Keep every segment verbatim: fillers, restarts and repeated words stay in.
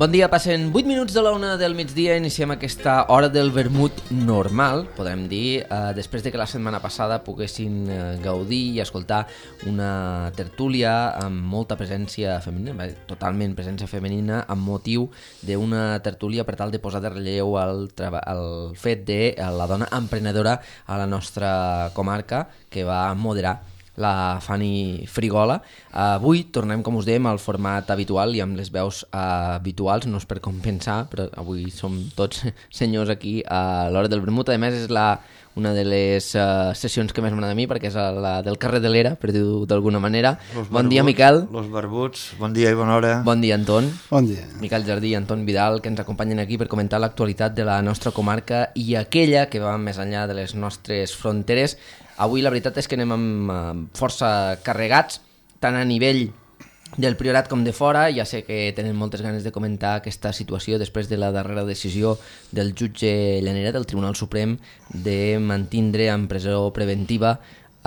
Bon dia, passen vuit minuts de la una del migdia, iniciem aquesta hora del vermut normal, podem dir, eh, després de que la setmana passada poguessin eh, gaudir i escoltar una tertúlia amb molta presència femenina, totalment presència femenina, amb motiu d'una tertúlia per tal de posar de relleu el, el fet de la dona emprenedora a la nostra comarca, que va moderar la Fanny Frigola. Avui tornem, com us dèiem, al format habitual i amb les veus uh, habituals, no és per compensar, però avui som tots senyors aquí a l'hora del vermut. A més, és la, una de les uh, sessions que més m'agrada a mi, perquè és la del carrer de l'Era, per dir-ho d'alguna manera. Los bon barbuts, dia, Miquel. Los barbuts, bon dia i bona hora. Bon dia, Anton. Bon dia. Miquel Jardí i Anton Vidal, que ens acompanyen aquí per comentar l'actualitat de la nostra comarca i aquella que va més enllà de les nostres fronteres. Avui la veritat és que anem amb força carregats, tant a nivell del Priorat com de fora. Ja sé que tenen moltes ganes de comentar aquesta situació després de la darrera decisió del jutge Llanera del Tribunal Suprem de mantindre en presó preventiva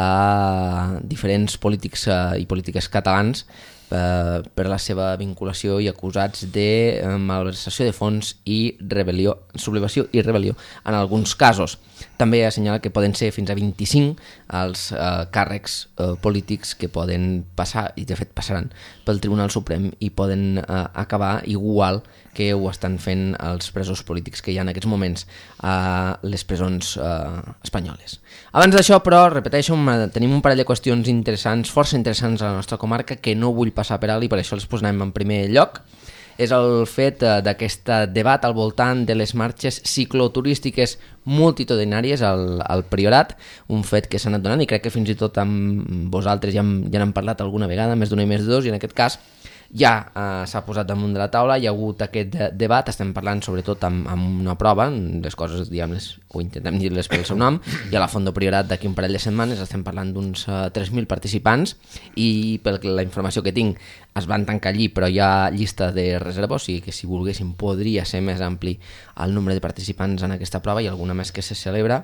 a diferents polítics i polítiques catalans eh, per la seva vinculació i acusats de eh, malversació de fons i rebel·lió, sublevació i rebel·lió en alguns casos. També assenyala que poden ser fins a vint-i-cinc els eh, càrrecs eh, polítics que poden passar, i de fet passaran, pel Tribunal Suprem i poden eh, acabar igual que ho estan fent els presos polítics que hi ha en aquests moments a les presons eh, espanyoles. Abans d'això, però, repeteixo, tenim un parell de qüestions interessants, força interessants a la nostra comarca, que no vull passar per alt i per això les posem en primer lloc. És el fet d'aquest debat al voltant de les marxes cicloturístiques multitudinàries al, al Priorat, un fet que s'ha anat donant i crec que fins i tot amb vosaltres ja, hem, ja n'hem parlat alguna vegada, més d'una i més de dos, i en aquest cas ja eh, s'ha posat damunt de la taula, hi ha hagut aquest de debat, estem parlant sobretot amb, amb una prova, les coses diguem-les, o intentem dir-les pel seu nom, i a la Fondo Priorat d'aquí un parell de setmanes estem parlant d'uns uh, tres mil participants i per la informació que tinc es van tancar allí, però hi ha llista de reserva, o sigui que si volguéssim podria ser més ampli el nombre de participants en aquesta prova i alguna més que se celebra.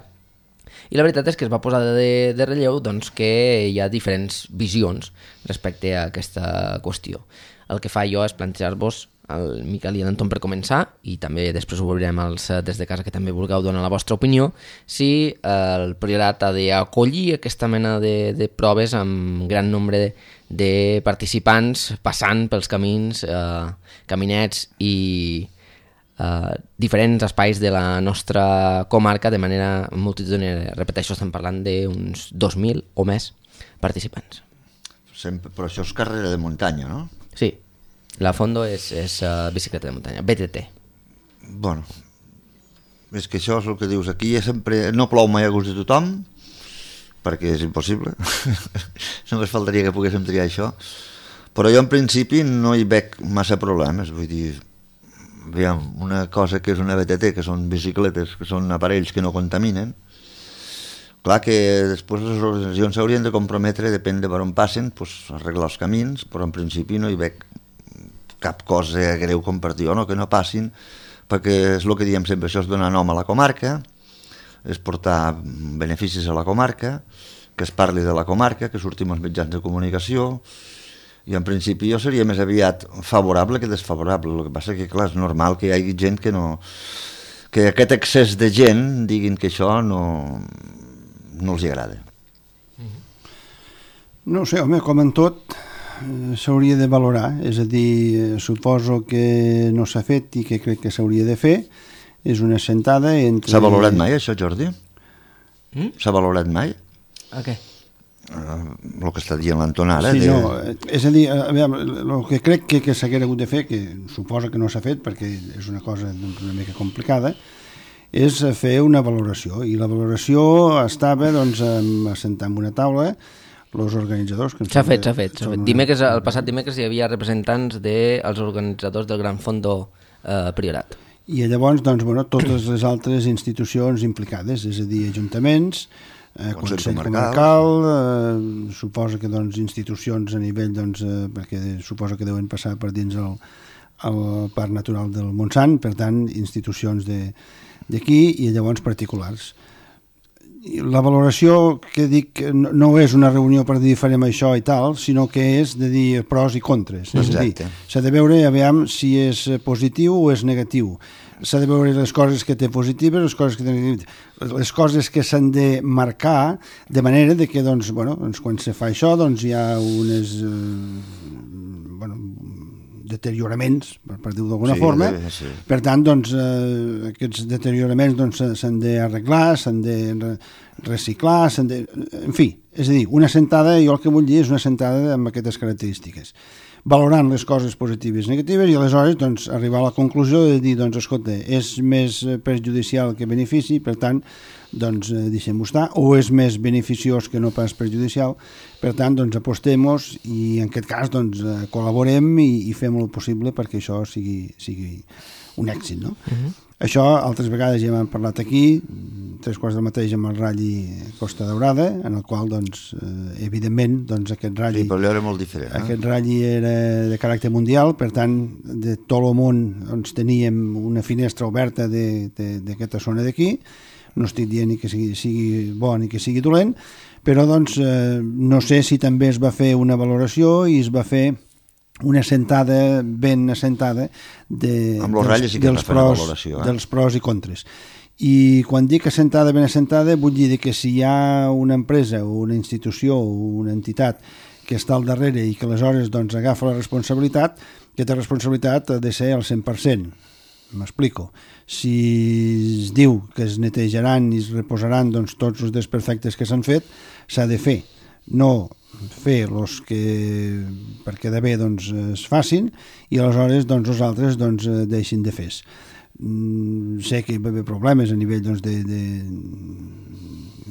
I la veritat és que es va posar de, de relleu doncs, que hi ha diferents visions respecte a aquesta qüestió. El que fa jo és plantejar-vos, el Miquel i l'Anton per començar, i també després ho veurem els des de casa que també vulgueu donar la vostra opinió, si el Priorat ha d'acollir aquesta mena de, de proves amb gran nombre de, de participants passant pels camins, eh, caminets i eh, diferents espais de la nostra comarca de manera multitudinària. Repeteixo, estem parlant d'uns dos mil o més participants. Sempre, però això és carrera de muntanya, no? Sí, la Fondo és, és uh, bicicleta de muntanya, B T T. Bueno, és que això és el que dius aquí, sempre no plou mai a gust de tothom, perquè és impossible, només faltaria que poguéssim triar això, però jo en principi no hi veig massa problemes, vull dir, aviam, una cosa que és una B T T, que són bicicletes, que són aparells que no contaminen, clar que després les organitzacions s'haurien de comprometre, depèn de per on passen, doncs, arreglar els camins, però en principi no hi veig cap cosa greu compartir o no, que no passin, perquè és el que diem sempre, això és donar nom a la comarca, és portar beneficis a la comarca, que es parli de la comarca, que sortim als mitjans de comunicació, i en principi jo seria més aviat favorable que desfavorable. El que passa que, clar, és normal que hi hagi gent que no... que aquest excés de gent diguin que això no... no els agrada. No sé, home, com en tot s'hauria de valorar, és a dir, suposo que no s'ha fet i que crec que s'hauria de fer, és una sentada entre... S'ha valorat mai això, Jordi? Mm? S'ha valorat mai? A què? Uh, el que està dient l'Anton ara. Sí, de... no, és a dir, a veure, el que crec que, que s'haguera hagut de fer, que suposa que no s'ha fet perquè és una cosa una mica complicada, és fer una valoració, i la valoració estava doncs, assentar en una taula els organitzadors... S'ha fet, s'ha fet. Una... Dimecres, el passat dimecres hi havia representants dels organitzadors del Gran Fondo eh, Priorat. I llavors, doncs, bueno, totes les altres institucions implicades, és a dir, ajuntaments, eh, Consell, Consell Comarcal, eh, suposa que doncs, institucions a nivell, doncs, eh, perquè suposa que deuen passar per dins el, el Parc Natural del Montsant, per tant, institucions de d'aquí i llavors particulars. la valoració que dic no és una reunió per dir farem això i tal, sinó que és de dir pros i contres. És a dir, s'ha de veure aviam si és positiu o és negatiu. S'ha de veure les coses que té positives, les coses que té negatives, les coses que s'han de marcar de manera de que doncs, bueno, doncs, quan se fa això doncs, hi ha unes eh, bueno, deterioraments, per, per dir-ho d'alguna sí, forma. Bé, sí. Per tant, doncs, eh, aquests deterioraments doncs, s'han d'arreglar, s'han de reciclar, s'han de... En fi, és a dir, una sentada, jo el que vull dir és una sentada amb aquestes característiques, valorant les coses positives i negatives i aleshores doncs, arribar a la conclusió de dir, doncs, escolta, és més perjudicial que benefici, per tant, doncs, deixem-ho estar, o és més beneficiós que no pas perjudicial, per tant, doncs, apostem-nos i en aquest cas, doncs, col·laborem i, i fem el possible perquè això sigui, sigui un èxit, no? Uh-huh. Això, altres vegades ja hem parlat aquí, tres quarts del mateix amb el Rally Costa Daurada, en el qual, doncs, eh, evidentment, doncs, aquest Rally... Sí, però era molt diferent, eh? Aquest Rally era de caràcter mundial, per tant, de tot el món doncs, teníem una finestra oberta d'aquesta zona d'aquí. No estic dient ni que sigui, sigui bo ni que sigui dolent, però, doncs, eh, no sé si també es va fer una valoració i es va fer una assentada ben assentada de, amb dels, sí dels, pros, valoració, eh? dels pros i contres. I quan dic assentada ben assentada vull dir que si hi ha una empresa o una institució o una entitat que està al darrere i que aleshores doncs, agafa la responsabilitat, aquesta responsabilitat ha de ser al cent per cent. M'explico. Si es diu que es netejaran i es reposaran doncs, tots els desperfectes que s'han fet, s'ha de fer. No fer els que per quedar bé doncs, es facin i aleshores doncs, els altres doncs, deixin de fer. Mm, sé que hi va haver problemes a nivell doncs, de, de,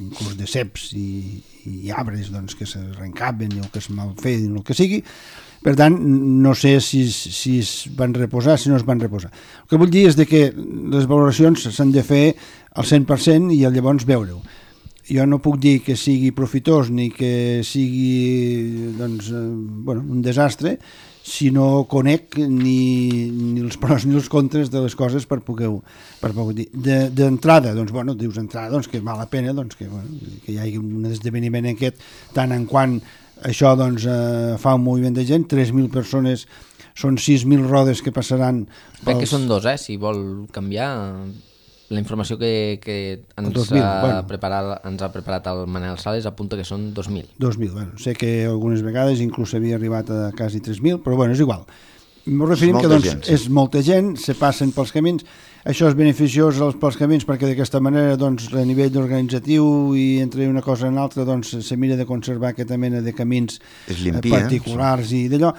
inclús de ceps i, i arbres doncs, que s'arrencaven o que es malfeien o el que sigui. Per tant, no sé si, si es van reposar, si no es van reposar. El que vull dir és de que les valoracions s'han de fer al cent per cent i llavors veure-ho. Jo no puc dir que sigui profitós ni que sigui doncs, eh, bueno, un desastre si no conec ni, ni els pros ni els contres de les coses per poder-ho per poder dir. D'entrada, doncs, bueno, dius entrada, doncs, que val la pena doncs, que, bueno, que hi hagi un esdeveniment aquest, tant en quant això doncs, eh, fa un moviment de gent, tres mil persones, són sis mil rodes que passaran... Pels... Crec que són dos, eh? Si vol canviar... La informació que, que ens, dos mil, ha bueno. preparat, ens ha preparat el Manel Sales apunta que són dos mil. dos mil, bueno, sé que algunes vegades inclús havia arribat a quasi tres mil, però bueno, és igual. M'ho referim que doncs, gent, sí. És molta gent, se passen pels camins, això és beneficiós pels camins perquè d'aquesta manera doncs, a nivell organitzatiu i entre una cosa i una altra doncs, se mira de conservar aquesta mena de camins limpia, particulars sí. I d'allò,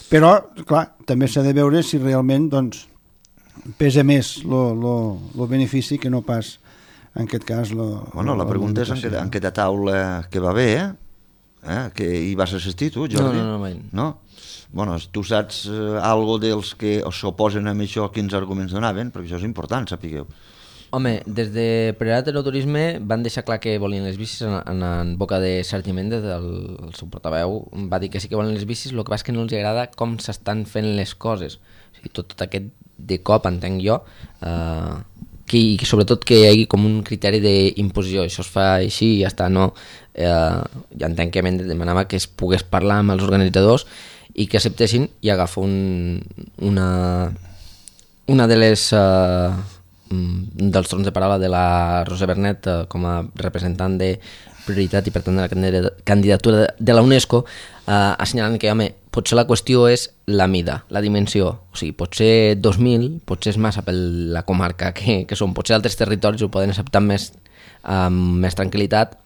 però clar, també s'ha de veure si realment doncs, pesa més el benefici que no pas en aquest cas lo, bueno, la pregunta és en, que, en aquesta taula que va bé eh? Eh? Que hi vas assistir tu, Jordi? No, no, no, no? Bueno, tu saps eh, algo dels que s'oposen a això, quins arguments donaven, perquè això és important, sapigueu. Home, des de Prioritat Aeroturisme van deixar clar que volien les bicis en, en, en boca de Sergi Méndez, el, el seu portaveu, va dir que sí que volen les bicis, el que passa és que no els agrada com s'estan fent les coses. O sigui, tot, tot aquest de cop, entenc jo, eh, que, que sobretot que hi hagi com un criteri d'imposició, això es fa així i ja està, no? Eh, ja entenc que Méndez demanava que es pogués parlar amb els organitzadors i que acceptessin i agafar un, una, una de les... Eh, dels torns de paraula de la Rosa Bernet eh, com a representant de prioritat i per tant de la candidatura de la UNESCO eh, assenyalant que home, potser la qüestió és la mida, la dimensió, o sigui, potser dos mil, potser és massa per la comarca que, que són, potser altres territoris ho poden acceptar més, amb més tranquil·litat,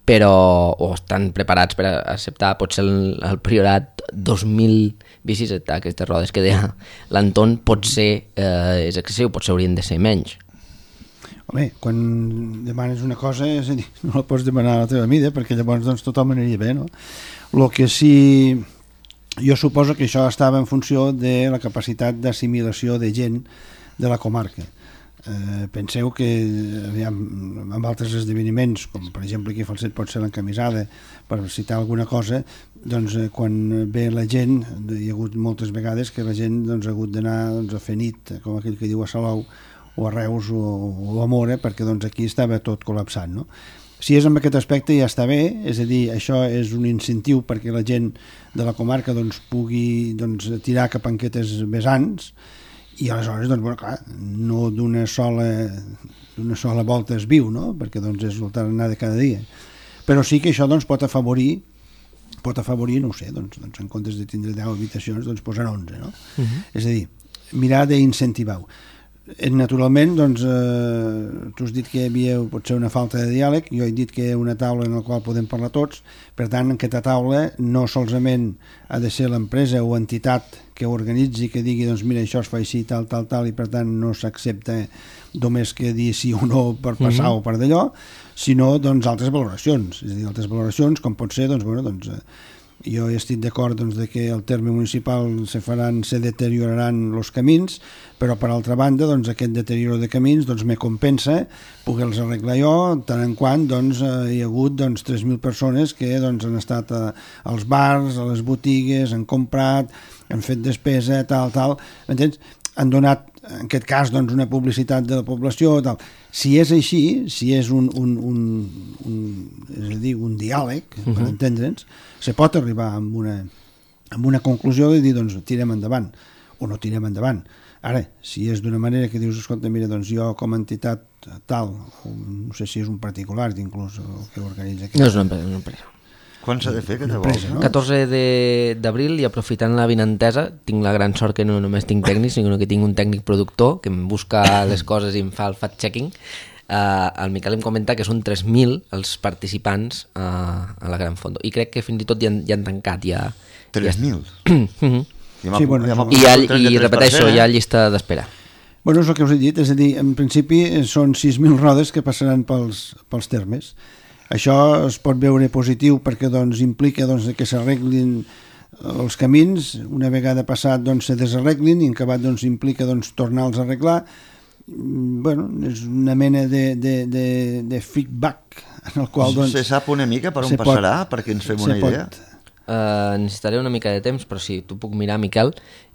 però o estan preparats per acceptar potser el, el Priorat dos mil bicis, aquestes rodes que deia l'Anton, potser eh, és excessiu, potser haurien de ser menys. Home, quan demanes una cosa és a dir, no la pots demanar a la teva mida perquè llavors doncs, tothom aniria bé, no? El que sí, jo suposo que això estava en funció de la capacitat d'assimilació de gent de la comarca. Eh, penseu que aviam, amb altres esdeveniments com per exemple aquí a Falset pot ser l'encamisada per citar alguna cosa doncs eh, quan ve la gent hi ha hagut moltes vegades que la gent doncs, ha hagut d'anar doncs, a fer nit com aquell que diu a Salou o a Reus o, o a Mora perquè doncs, aquí estava tot col·lapsant, no? si és amb aquest aspecte ja està bé, és a dir, això és un incentiu perquè la gent de la comarca doncs, pugui doncs, tirar cap a aquestes vessants, i aleshores, doncs, bueno, clar, no d'una sola, d'una sola volta es viu, no? Perquè doncs, és el tarannà de cada dia. Però sí que això doncs, pot afavorir, pot afavorir, no ho sé, doncs, doncs, en comptes de tindre deu habitacions, doncs posar onze, no? Uh-huh. És a dir, mirar d'incentivar-ho. Naturalment, doncs, eh, tu has dit que hi havia potser una falta de diàleg, jo he dit que hi ha una taula en la qual podem parlar tots, per tant, en aquesta taula no solament ha de ser l'empresa o entitat que organitzi, que digui, doncs mira, això es fa així, tal, tal, tal, i per tant no s'accepta només que dir sí o no per passar mm-hmm. o per d'allò, sinó doncs altres valoracions, és a dir, altres valoracions, com pot ser, doncs, bueno, doncs, eh, jo estic d'acord doncs, de que el terme municipal se faran, se deterioraran els camins, però per altra banda doncs, aquest deterioro de camins doncs, me compensa poder-los arreglar jo, tant en quant doncs, hi ha hagut doncs, tres mil persones que doncs, han estat a, als bars, a les botigues, han comprat, han fet despesa, tal, tal, m'entens? Han donat, en aquest cas, doncs, una publicitat de la població, tal. Si és així, si és un, un, un, un, és a dir, un diàleg, uh-huh. per entendre'ns, se pot arribar a una, a una conclusió i dir, doncs, tirem endavant, o no tirem endavant. Ara, si és d'una manera que dius, escolta, mira, doncs jo com a entitat tal, o no sé si és un particular, inclús, el que organitza... No és una empresa, una empresa. Quan s'ha de fer aquesta volta? No? catorze d'abril, i aprofitant la vinentesa, tinc la gran sort que no només tinc tècnics, sinó que tinc un tècnic productor que em busca les coses i em fa el fact-checking. Uh, el Miquel em comenta que són tres mil els participants uh, a la Gran Fondo, i crec que fins i tot ja han, ja han tancat ja... tres mil? Ja... Sí, bueno, ja I, ha, i repeteixo, hi ha llista d'espera. Bueno, és el que us he dit, és a dir, en principi són sis mil rodes que passaran pels, pels termes. Això es pot veure positiu perquè doncs, implica doncs, que s'arreglin els camins, una vegada passat doncs, se desarreglin, i en acabat doncs, implica doncs, tornar-los a arreglar. Bueno, és una mena de, de, de, de feedback en el qual... Doncs, se sap una mica per on passarà, pot, perquè ens fem una idea? Uh, necessitaré una mica de temps, però sí, tu puc mirar, Miquel,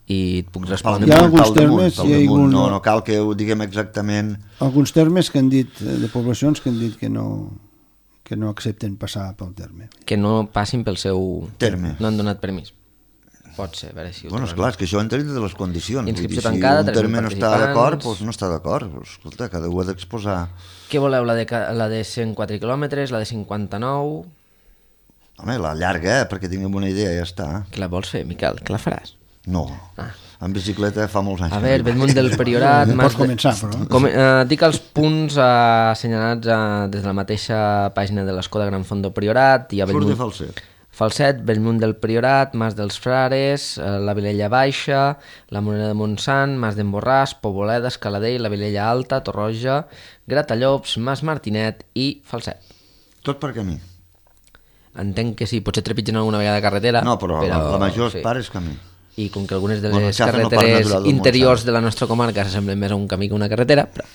i et puc respondre. Hi ha alguns termes... Hi ha algun... no, no cal que ho diguem exactament... Alguns termes que han dit, de poblacions que han dit que no... que no accepten passar pel terme. Que no passin pel seu... terme. No han donat permís. Pot ser, a veure si... Bueno, esclar, és que això entra dintre de les condicions. Inscripció dir, tancada, si un terme no està d'acord, doncs no està d'acord. Escolta, cada un ha d'exposar... Què voleu, la de, la de cent quatre quilòmetres, la de cinquanta-nou... Home, la llarga, eh, perquè tinguem una idea, ja està. Que la vols fer, Miquel? Que la faràs? No. Ah. En bicicleta fa molts anys. A veure, Bellmunt del Priorat... Pots començar, però... Com, eh, dic els punts eh, assenyalats eh, des de la mateixa pàgina de l'Escola Gran Fondo Priorat. Hi ha Bellmunt... Surt de Falset. Falset, Bellmunt del Priorat, Mas dels Frares, eh, la Vilella Baixa, la Moneda de Montsant, Mas d'en Borràs, Poboleda, Escaladell, la Vilella Alta, Torroja, Gratallops, Mas Martinet i Falset. Tot per camí. Entenc que sí, potser trepitgen alguna vegada carretera. No, però, però la, la major sí. part és camí. I com que algunes de les bueno, carreteres no interiors de la nostra comarca s'assemblen més a un camí que una carretera, però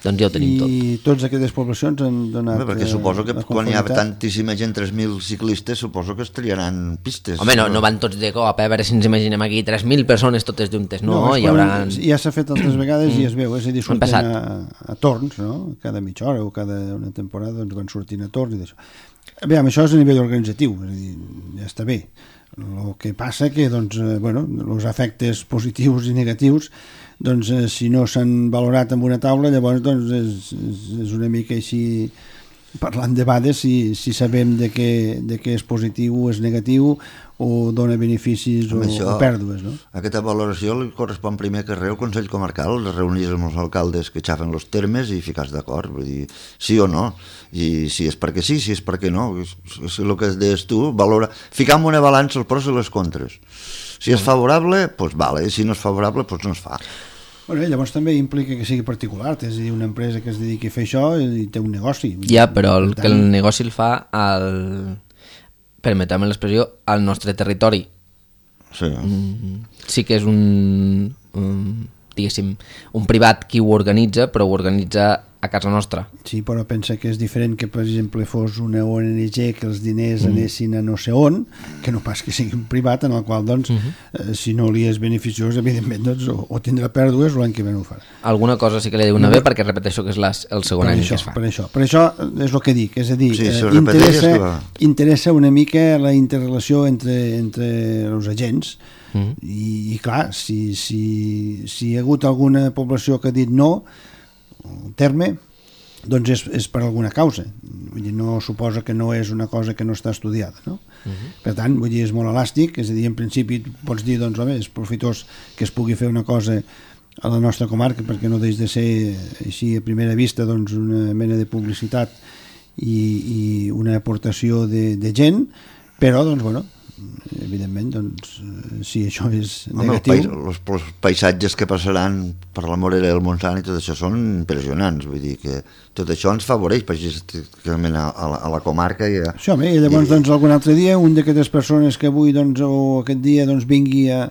doncs ja ho tenim tot. I totes aquestes poblacions han donat... Bé, perquè suposo que quan hi ha tantíssima gent, tres mil ciclistes, suposo que es triaran pistes. Home, no, no van tots de cop, eh? A veure si ens imaginem aquí tres mil persones totes juntes, no? No, hi haurà... Ja s'ha fet altres vegades i es veu, és a dir, surten a, a torns, no? Cada mitja hora o cada una temporada doncs van sortint a torns i d'això. Bé, això és a nivell organitzatiu, és a dir, ja està bé. El que passa que doncs, eh, bueno, els efectes positius i negatius doncs, eh, si no s'han valorat en una taula, llavors doncs, és, és, és una mica així parlant de debades si, si sabem de què, de què és positiu o és negatiu o dona beneficis o, això, o pèrdues, no? Aquesta valoració li correspon primer que res al Consell Comarcal, reunir amb els alcaldes que xafen els termes i ficar-se d'acord, vull dir, sí o no, i si és perquè sí, si és perquè no, és, és el que deies tu, valora, ficar en una balança els pros i les contres. Si és favorable, doncs vale, i si no és favorable, doncs no es fa. Bueno, llavors també implica que sigui particular, és a dir, una empresa que es dediqui a fer això i té un negoci. Ja, però el, que el negoci el fa al... permetem l'expressió, al nostre territori. Sí. Mm, sí que és un, un, diguéssim, un privat qui ho organitza, però ho organitza a casa nostra. Sí, però pensa que és diferent que, per exemple, fos una O N G que els diners mm. anessin a no sé on, que no pas que sigui un privat, en el qual, doncs, mm -hmm. eh, si no li és beneficiós, evidentment, doncs, o, o tindrà pèrdues o l'any que ve no ho farà. Alguna cosa sí que li diu una no, bé, perquè repeteixo que és les, el segon any això, que es fa. Per això, per això és el que dic, és a dir, sí, eh, interessa, interessa una mica la interrelació entre, entre els agents. Mm. I, i clar, si, si, si hi ha hagut alguna població que ha dit no el terme, doncs és, és per alguna causa. Vull dir, no suposa que no és una cosa que no està estudiada, no? Mm-hmm. Per tant, vull dir, és molt elàstic, és a dir, en principi pots dir, doncs, home, és profitós que es pugui fer una cosa a la nostra comarca perquè no deix de ser així a primera vista, doncs, una mena de publicitat i, i una aportació de, de gent, però, doncs, bueno, evidentment, doncs, si això és negatiu... Home, els, els paisatges que passaran per la Morera del Montsant i tot això són impressionants, vull dir que tot això ens favoreix precisament a, a, la, a la comarca i a... Sí, home, i llavors, i... doncs, algun altre dia, un d'aquestes persones que avui, doncs, o aquest dia, doncs, vingui a,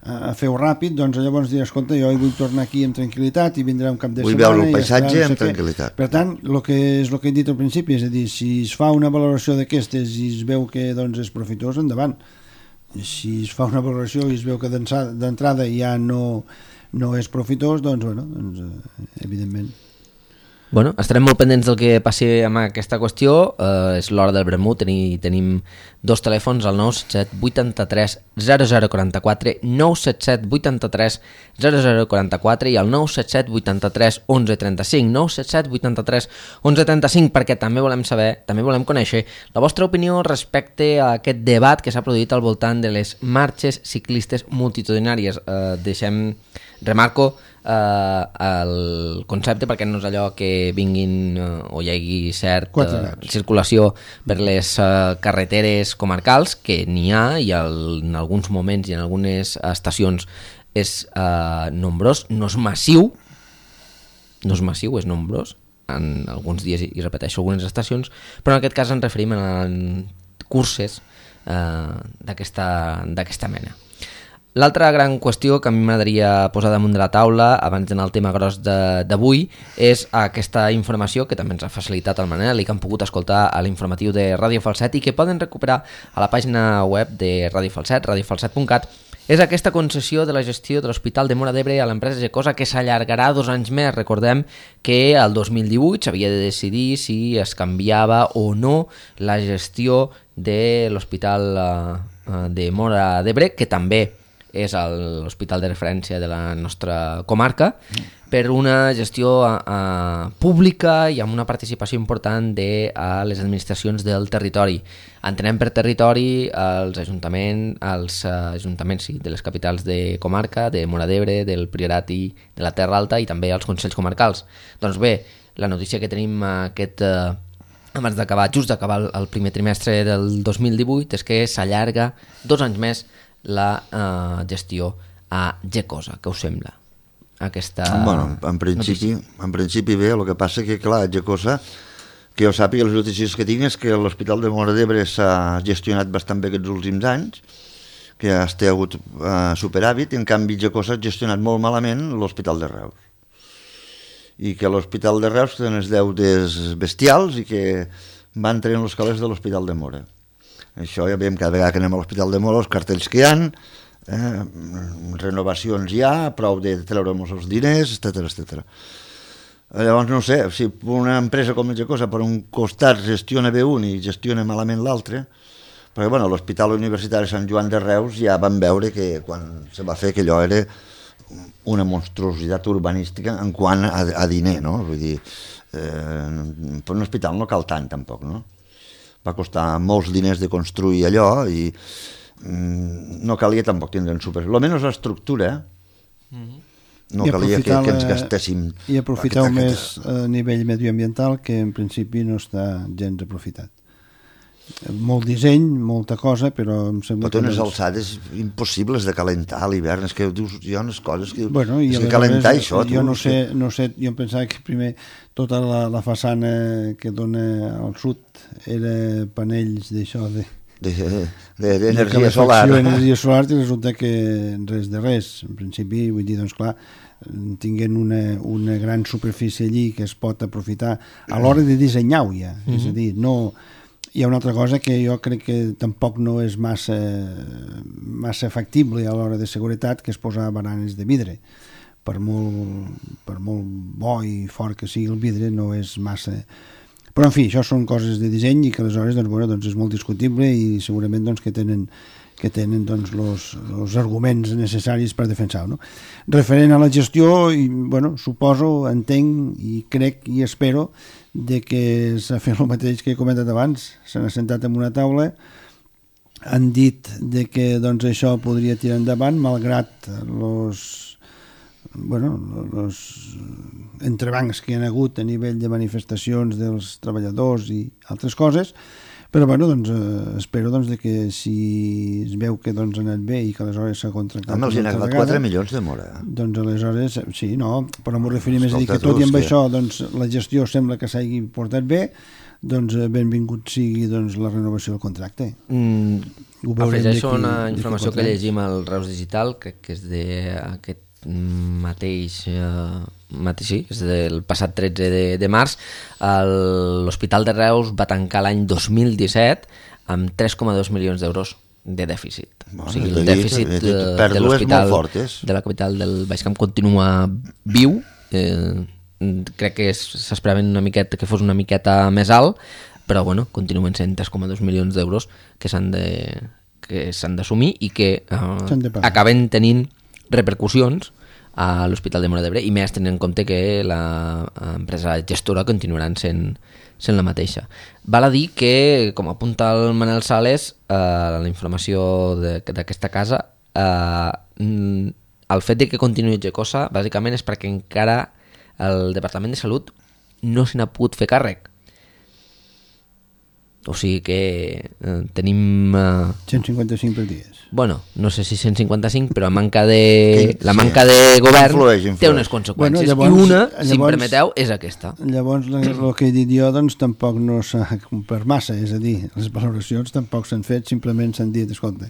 a fer-ho ràpid, doncs llavors dirà, escolta, jo vull tornar aquí amb tranquil·litat i vindrà un cap de vull setmana... Vull veure el paisatge amb no sé tranquil·litat. Per tant, el que és el que he dit al principi, és a dir, si es fa una valoració d'aquestes i es veu que, doncs, és profitós, endavant. Si es fa una valoració i es veu que d'entrada ja no, no és profitós, doncs, bueno, doncs, evidentment. Bueno, estarem molt pendents del que passi amb aquesta qüestió. Uh, és l'hora del vermut. Teni, tenim dos telèfons, el nou set set vuitanta-tres zero zero quaranta-quatre, nou set set vuitanta-tres zero zero quaranta-quatre i el nou set set vuitanta-tres onze trenta-cinc, nou set set vuitanta-tres onze trenta-cinc, perquè també volem saber, també volem conèixer la vostra opinió respecte a aquest debat que s'ha produït al voltant de les marxes ciclistes multitudinàries. Uh, deixem, remarco, Uh, el concepte perquè no és allò que vinguin uh, o hi hagi cert uh, circulació per les uh, carreteres comarcals, que n'hi ha i el, en alguns moments i en algunes estacions és uh, nombrós, no és massiu, no és massiu, és nombrós en alguns dies, i repeteixo, algunes estacions, però en aquest cas ens referim a curses uh, d'aquesta d'aquesta mena. L'altra gran qüestió que a mi m'agradaria posar damunt de la taula, abans d'anar al tema gros d'avui, és aquesta informació que també ens ha facilitat el Manel i que han pogut escoltar a l'informatiu de Ràdio Falset i que poden recuperar a la pàgina web de Ràdio Falset, radio falset punt cat. És aquesta concessió de la gestió de l'Hospital de Móra d'Ebre a l'empresa Gecosa que s'allargarà dos anys més. Recordem que el dos mil divuit s'havia de decidir si es canviava o no la gestió de l'Hospital de Móra d'Ebre, que també és l'hospital de referència de la nostra comarca, per una gestió uh, pública i amb una participació important de uh, les administracions del territori. Entenem per territori els ajuntaments, els uh, ajuntaments sí, de les capitals de comarca, de Móra d'Ebre, del Priorat i de la Terra Alta, i també els consells comarcals. Doncs bé, la notícia que tenim aquest... Uh, abans d'acabar, just d'acabar el, el primer trimestre del dos mil divuit, és que s'allarga dos anys més la uh, gestió a Gecosa. Què us sembla? Aquesta bueno, en principi, en principi bé, el que passa que, clar, a Gecosa, que jo sàpiga, les notícies que tinc és que l'Hospital de Móra d'Ebre s'ha gestionat bastant bé aquests últims anys, que ha hagut uh, superàvit, i en canvi Gecosa ha gestionat molt malament l'Hospital de Reus. I que l'Hospital de Reus té unes deutes bestials i que van traient els calés de l'Hospital de Móra. Això ja veiem cada vegada que anem a l'Hospital de Móra, els cartells que hi ha, eh, renovacions hi ha, prou de treure-nos els diners, etcètera, etcètera. Llavors, no sé, si una empresa com Gecosa per un costat gestiona bé un i gestiona malament l'altre, perquè bueno, l'Hospital Universitari Sant Joan de Reus ja van veure que quan se va fer que allò era una monstruositat urbanística en quant a, a diner, no? Vull dir, eh, per un hospital no cal tant, tampoc, no? Va costar molts diners de construir allò i mm, no calia tampoc tindre en super... Almenys l'estructura, no calia que, que ens gastéssim... I aprofitar més a nivell medioambiental, que en principi no està gens aprofitat. Molt disseny, molta cosa, però em sembla però que... Però unes alçades impossibles de calentar a l'hivern, és que dius, hi ha unes coses que... Bueno, i és que calentar vegades, això... Jo tu, no sé, que... no sé, jo em pensava que primer tota la, la façana que dona al sud era panells d'això, de, d'energia solar. Energia solar i resulta que res de res. En principi, vull dir, doncs clar, tinguent una, una gran superfície allí que es pot aprofitar a l'hora de dissenyar-ho ja. Mm-hmm. És a dir, no... Hi ha una altra cosa que jo crec que tampoc no és massa, massa factible a l'hora de seguretat, que és posar baranes de vidre. Per molt, per molt bo i fort que sigui el vidre, no és massa... Però, en fi, això són coses de disseny i que aleshores doncs, bueno, doncs és molt discutible i segurament doncs, que tenen, que tenen doncs, los, los arguments necessaris per defensar-ho. No? Referent a la gestió, i, bueno, suposo, entenc i crec i espero de que s'ha fet el mateix que he comentat abans. S'han assentat en una taula, han dit de que doncs, això podria tirar endavant malgrat los, bueno, los entrebancs que hi ha hagut a nivell de manifestacions dels treballadors i altres coses, però bueno, doncs, eh, espero doncs, de que si es veu que doncs, ha anat bé i que aleshores s'ha contractat... Home, els hi han agafat quatre milions de mora. Doncs aleshores, sí, no, però m'ho referim més a dir que tot i amb que... això doncs, la gestió sembla que s'hagi portat bé, doncs benvingut sigui doncs, la renovació del contracte. Mm, afegeixo una informació que llegim al Reus Digital, que, que és d'aquest mateix, eh, mateix sí, és del passat tretze de, de març. L'Hospital de Reus va tancar l'any dos mil disset amb tres coma dos milions d'euros de dèficit. Bueno, o sigui, el dèficit de, de l'hospital de la capital del Baix Camp continua viu. Eh, crec que s'esperaven una miqueta que fos una miqueta més alt, però bueno, continuen sent tres coma dos milions d'euros que s'han de que s'han d'assumir i que eh, acaben tenint repercussions a l'Hospital de Móra d'Ebre, i més tenint en compte que l'empresa gestora continuaran sent, sent la mateixa. Val a dir que, com apunta el Manel Sales, eh, la informació d'aquesta casa, eh, el fet de que continuï Gecosa bàsicament és perquè encara el Departament de Salut no se n'ha pogut fer càrrec. O sigui que eh, tenim... Eh, cent cinquanta-cinc per dies. Bueno, no sé si cent cinquanta-cinc, però manca de, la manca de govern influeix, influeix. té unes conseqüències. Bueno, llavors, I una, llavors, si em permeteu, és aquesta. Llavors, el que he dit jo, doncs, tampoc no s'ha complert massa. És a dir, les valoracions tampoc s'han fet, simplement s'han dit, escolta,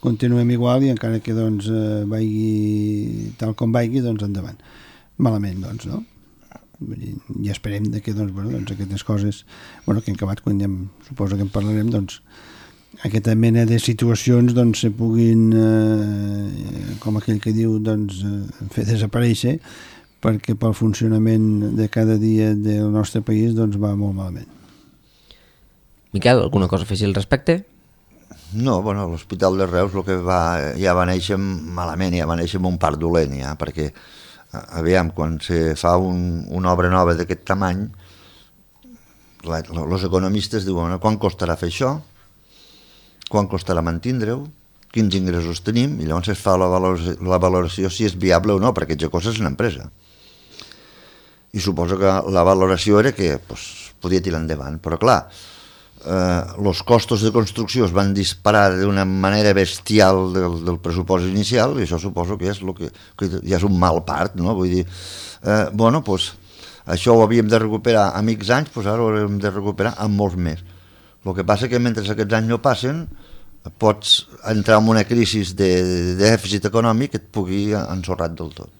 continuem igual i encara que doncs, vagi tal com vagi, doncs endavant. Malament, doncs, no? I esperem de que doncs, bueno, doncs, aquestes coses, bueno, que hem acabat, quan ja suposo que en parlarem, doncs, aquesta mena de situacions doncs, se puguin, eh, com aquell que diu, doncs, eh, fer desaparèixer, perquè pel funcionament de cada dia del nostre país doncs, va molt malament. Miquel, alguna cosa a afegir al respecte? No, bueno, l'Hospital de Reus el que va, ja va néixer malament, ja va néixer amb un part dolent, ja, perquè aviam, quan se fa un, una obra nova d'aquest tamany, els economistes diuen, quan costarà fer això? Quan costarà mantindre-ho? Quins ingressos tenim? I llavors es fa la valoració, la valoració si és viable o no, perquè Gecosa és una empresa. I suposo que la valoració era que pues, podia tirar endavant, però clar, els eh, costos de construcció es van disparar d'una manera bestial del, del pressupost inicial, i això suposo que és, lo que, que ja és un mal part, no? Vull dir, eh, bueno, pues, això ho havíem de recuperar a mig anys, pues ara ho havíem de recuperar amb molts més. El que passa que mentre aquests anys no passen, pots entrar en una crisi de, de dèficit econòmic que et pugui ensorrar del tot.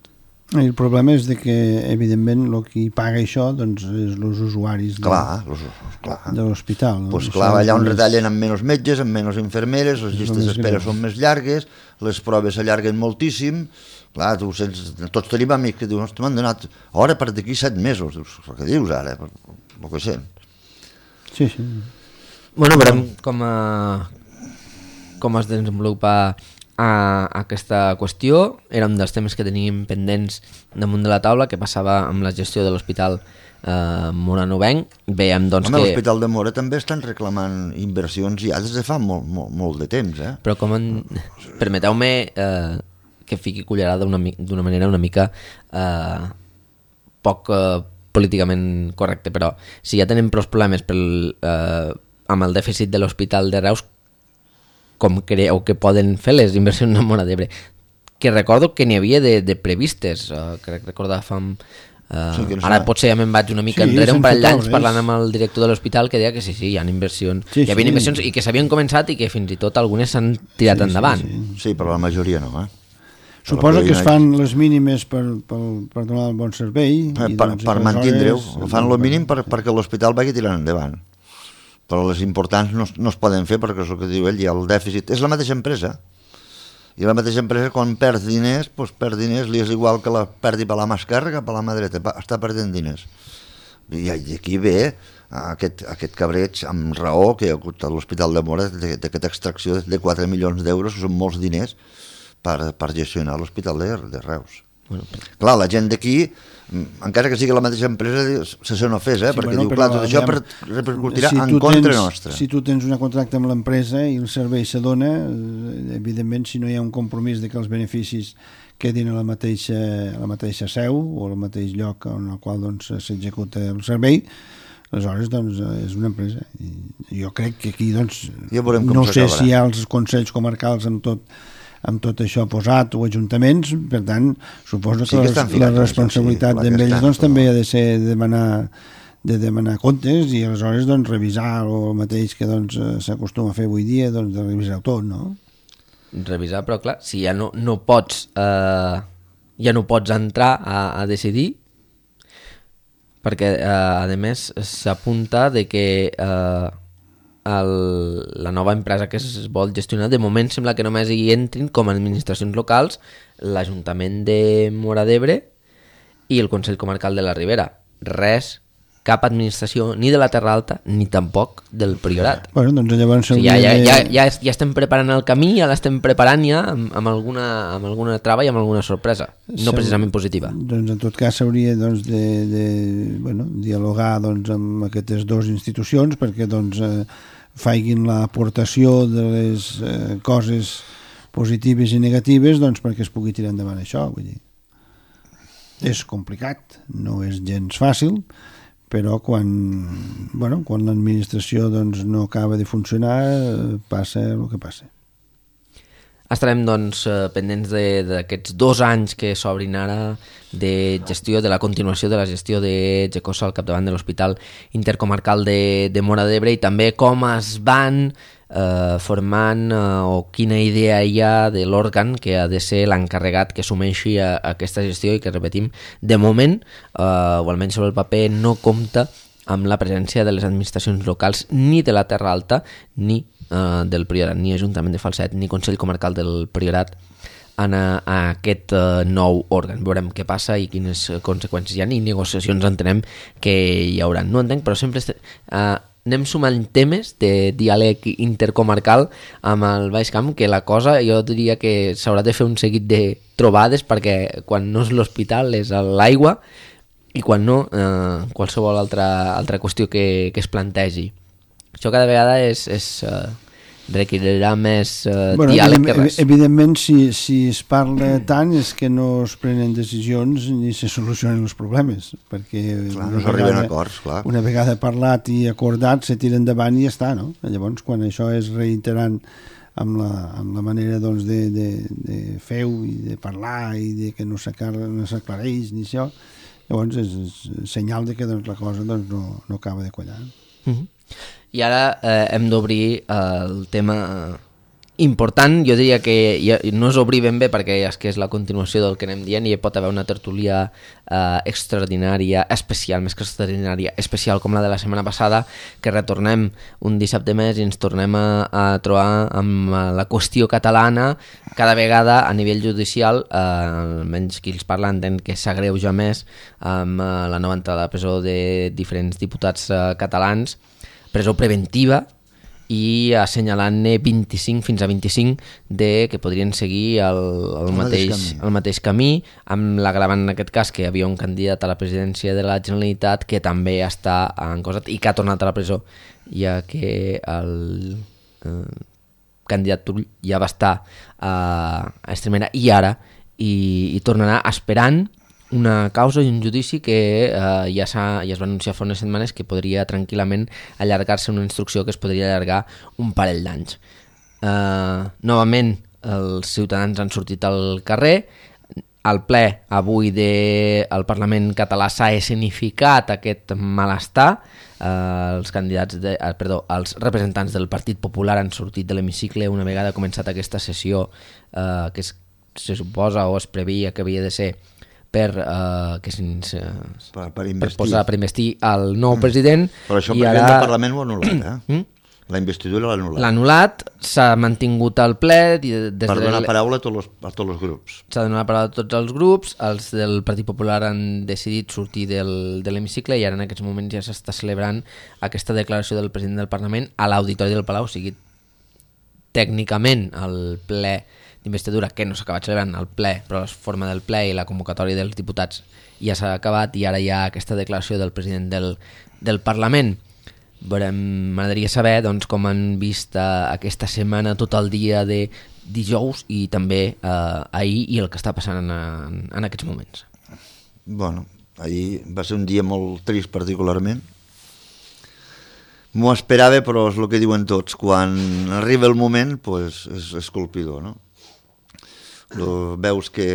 I el problema és de que, evidentment, el que paga això doncs, és els usuaris de, clar, los, clar. de l'hospital. No? Pues clar, allà on retallen amb menys metges, amb menys infermeres, les llistes d'espera són més llargues, les proves s'allarguen moltíssim. Clar, tu sents, tots tenim amics que diuen, m'han donat hora per d'aquí set mesos. Dius, què dius ara? El que sent. Sí, sí. Bueno, veurem com, a, com es desenvolupa a aquesta qüestió. Era un dels temes que teníem pendents damunt de la taula, que passava amb la gestió de l'hospital eh, moranovenc. Veiem, doncs, Home, que... l'Hospital de Móra també estan reclamant inversions ja des de fa molt, molt, molt de temps, eh? Però com en... permeteu-me eh, que fiqui cullerada d'una manera una mica eh, poc eh, políticament correcte, però si ja tenem prou problemes pel, eh, amb el dèficit de l'Hospital de Reus, com creieu que poden fer les inversions en Móra d'Ebre? Que recordo que n'hi havia de, de previstes, uh, crec recordar fa, Uh, sí, no ara potser ja me'n vaig una mica sí, enrere, un parell d'anys parlant amb el director de l'hospital que deia que sí, sí, hi ha inversions, sí, hi havia sí. inversions i que s'havien començat i que fins i tot algunes s'han tirat sí, endavant. Sí, sí. sí, però la majoria no, eh? Suposa que es fan les mínimes per, per, per donar el bon servei. Eh, per doncs, per mantindre-ho, fan el mínim per, perquè l'hospital vagi tirant endavant. Però les importants no, no es poden fer perquè és el que diu ell, hi ha el dèficit. És la mateixa empresa. I la mateixa empresa, quan perd diners, doncs perd diners, li és igual que la perdi per la mà esquerra que per la mà dreta, està perdent diners. I aquí ve aquest, aquest cabreig amb raó que hi ha hagut a l'Hospital de Mora d'aquesta extracció de quatre milions d'euros, que són molts diners, per, per gestionar l'Hospital de, de Reus. Bueno, clar, la gent d'aquí, encara que sigui la mateixa empresa, se se n'ofés, eh? Sí, perquè bueno, diu, clar, tot això per, repercutirà si en contra tens, nostra. Si tu tens una contracte amb l'empresa i el servei se dona, evidentment, si no hi ha un compromís de que els beneficis quedin a la mateixa, a la mateixa seu o al mateix lloc en el qual doncs, s'executa el servei, aleshores doncs, és una empresa. I jo crec que aquí doncs, no sé si hi ha els consells comarcals amb tot amb tot això posat o ajuntaments, per tant, suposo que, sí que la, la responsabilitat sí, d'ells doncs, també ha de ser de demanar, de demanar comptes i aleshores doncs, revisar el mateix que doncs, s'acostuma a fer avui dia, doncs, de revisar tot, no? Revisar, però clar, si ja no, no pots eh, ja no pots entrar a, a decidir, perquè eh, a més s'apunta de que eh, El, la nova empresa que es vol gestionar, de moment sembla que només hi entrin com a administracions locals l'Ajuntament de Móra d'Ebre i el Consell Comarcal de la Ribera. Res, cap administració ni de la Terra Alta ni tampoc del Priorat. Bueno, doncs llavors... O sigui, ja, ja, ja, ja, ja estem preparant el camí, ja l'estem preparant ja amb, amb, alguna, amb alguna trava i amb alguna sorpresa, no precisament positiva. Doncs en tot cas s'hauria doncs, de, de bueno, dialogar doncs, amb aquestes dues institucions perquè doncs, eh, faiguin l'aportació de les eh, coses positives i negatives doncs, perquè es pugui tirar endavant això. Vull dir. És complicat, no és gens fàcil, però quan, bueno, quan l'administració doncs, no acaba de funcionar passa el que passa. Estarem doncs, pendents d'aquests dos anys que s'obrin ara de gestió, de la continuació de la gestió de Gecosa al capdavant de l'Hospital Intercomarcal de, de Móra d'Ebre i també com es van eh, formant eh, o quina idea hi ha de l'òrgan que ha de ser l'encarregat que assumeixi a, a aquesta gestió i que, repetim, de moment, eh, o almenys sobre el paper, no compta amb la presència de les administracions locals ni de la Terra Alta ni eh, del Priorat, ni Ajuntament de Falset ni Consell Comarcal del Priorat en a, a aquest uh, nou òrgan. Veurem què passa i quines conseqüències hi ha i negociacions entenem que hi haurà. No entenc, però sempre este, uh, anem sumant temes de diàleg intercomarcal amb el Baix Camp, que la cosa jo diria que s'haurà de fer un seguit de trobades perquè quan no és l'hospital és l'aigua i quan no, eh, qualsevol altra, altra qüestió que, que es plantegi. Això cada vegada és... és uh, requerirà més uh, bueno, diàleg que res. Evidentment, si, si es parla tant és que no es prenen decisions ni se solucionen els problemes, perquè clar, no s'arriben a acords, clar. Una vegada parlat i acordat se tira endavant i ja està, no? Llavors, quan això és reiterant amb la, amb la manera doncs, de, de, de fer-ho i de parlar i de que no s'aclareix ni això, llavors és, és senyal de que doncs, la cosa doncs, no, no acaba de quallar. Mm-hmm. I ara eh, hem d'obrir eh, el tema important, jo diria que ja, no és obrir ben bé perquè és que és la continuació del que anem dient i hi pot haver una tertúlia eh, extraordinària, especial, més que extraordinària, especial com la de la setmana passada, que retornem un dissabte més i ens tornem a, a trobar amb la qüestió catalana, cada vegada a nivell judicial, eh, almenys qui els parla entén que s'agreuja més amb eh, la nova entrada a la presó de diferents diputats eh, catalans, presó preventiva i assenyalant-ne vint-i-cinc fins a vint-i-cinc de que podrien seguir el, el, el, mateix, el mateix camí, amb l'agravant en aquest cas que hi havia un candidat a la presidència de la Generalitat que també està encosat i que ha tornat a la presó, ja que el eh, candidat Turull ja va estar a, a Extremera i ara i, i tornarà esperant una causa i un judici que eh, ja, ja es va anunciar fa unes setmanes que podria tranquil·lament allargar-se una instrucció que es podria allargar un parell d'anys. Eh, novament, els ciutadans han sortit al carrer, al ple avui del Parlament català s'ha escenificat aquest malestar. Uh, els candidats de, uh, perdó, els representants del Partit Popular han sortit de l'hemicicle una vegada començat aquesta sessió uh, que es, se suposa o es previa que havia de ser per, uh, que uh, per, per, per posar per investir el nou mm. president. Però això i el ara... del Parlament ho ha anul·lat, eh? Mm? La investidura l'ha anul·lat. L'ha anul·lat, s'ha mantingut al ple... Des per donar de... paraula a tots, els, a tots els grups. S'ha donat paraula a tots els grups, els del Partit Popular han decidit sortir del, de l'hemicicle i ara en aquests moments ja s'està celebrant aquesta declaració del president del Parlament a l'Auditori del Palau, o sigui, tècnicament el ple d'investidura, que no s'ha acabat celebrant el ple, però la forma del ple i la convocatòria dels diputats ja s'ha acabat i ara hi ha aquesta declaració del president del, del Parlament. M'agradaria saber doncs, com han vist uh, aquesta setmana tot el dia de dijous i també uh, ahir i el que està passant en, en, en aquests moments. Bueno, ahir va ser un dia molt trist particularment. M'ho esperava, però és el que diuen tots. Quan arriba el moment, pues, és, és colpidor, no? Lo, veus que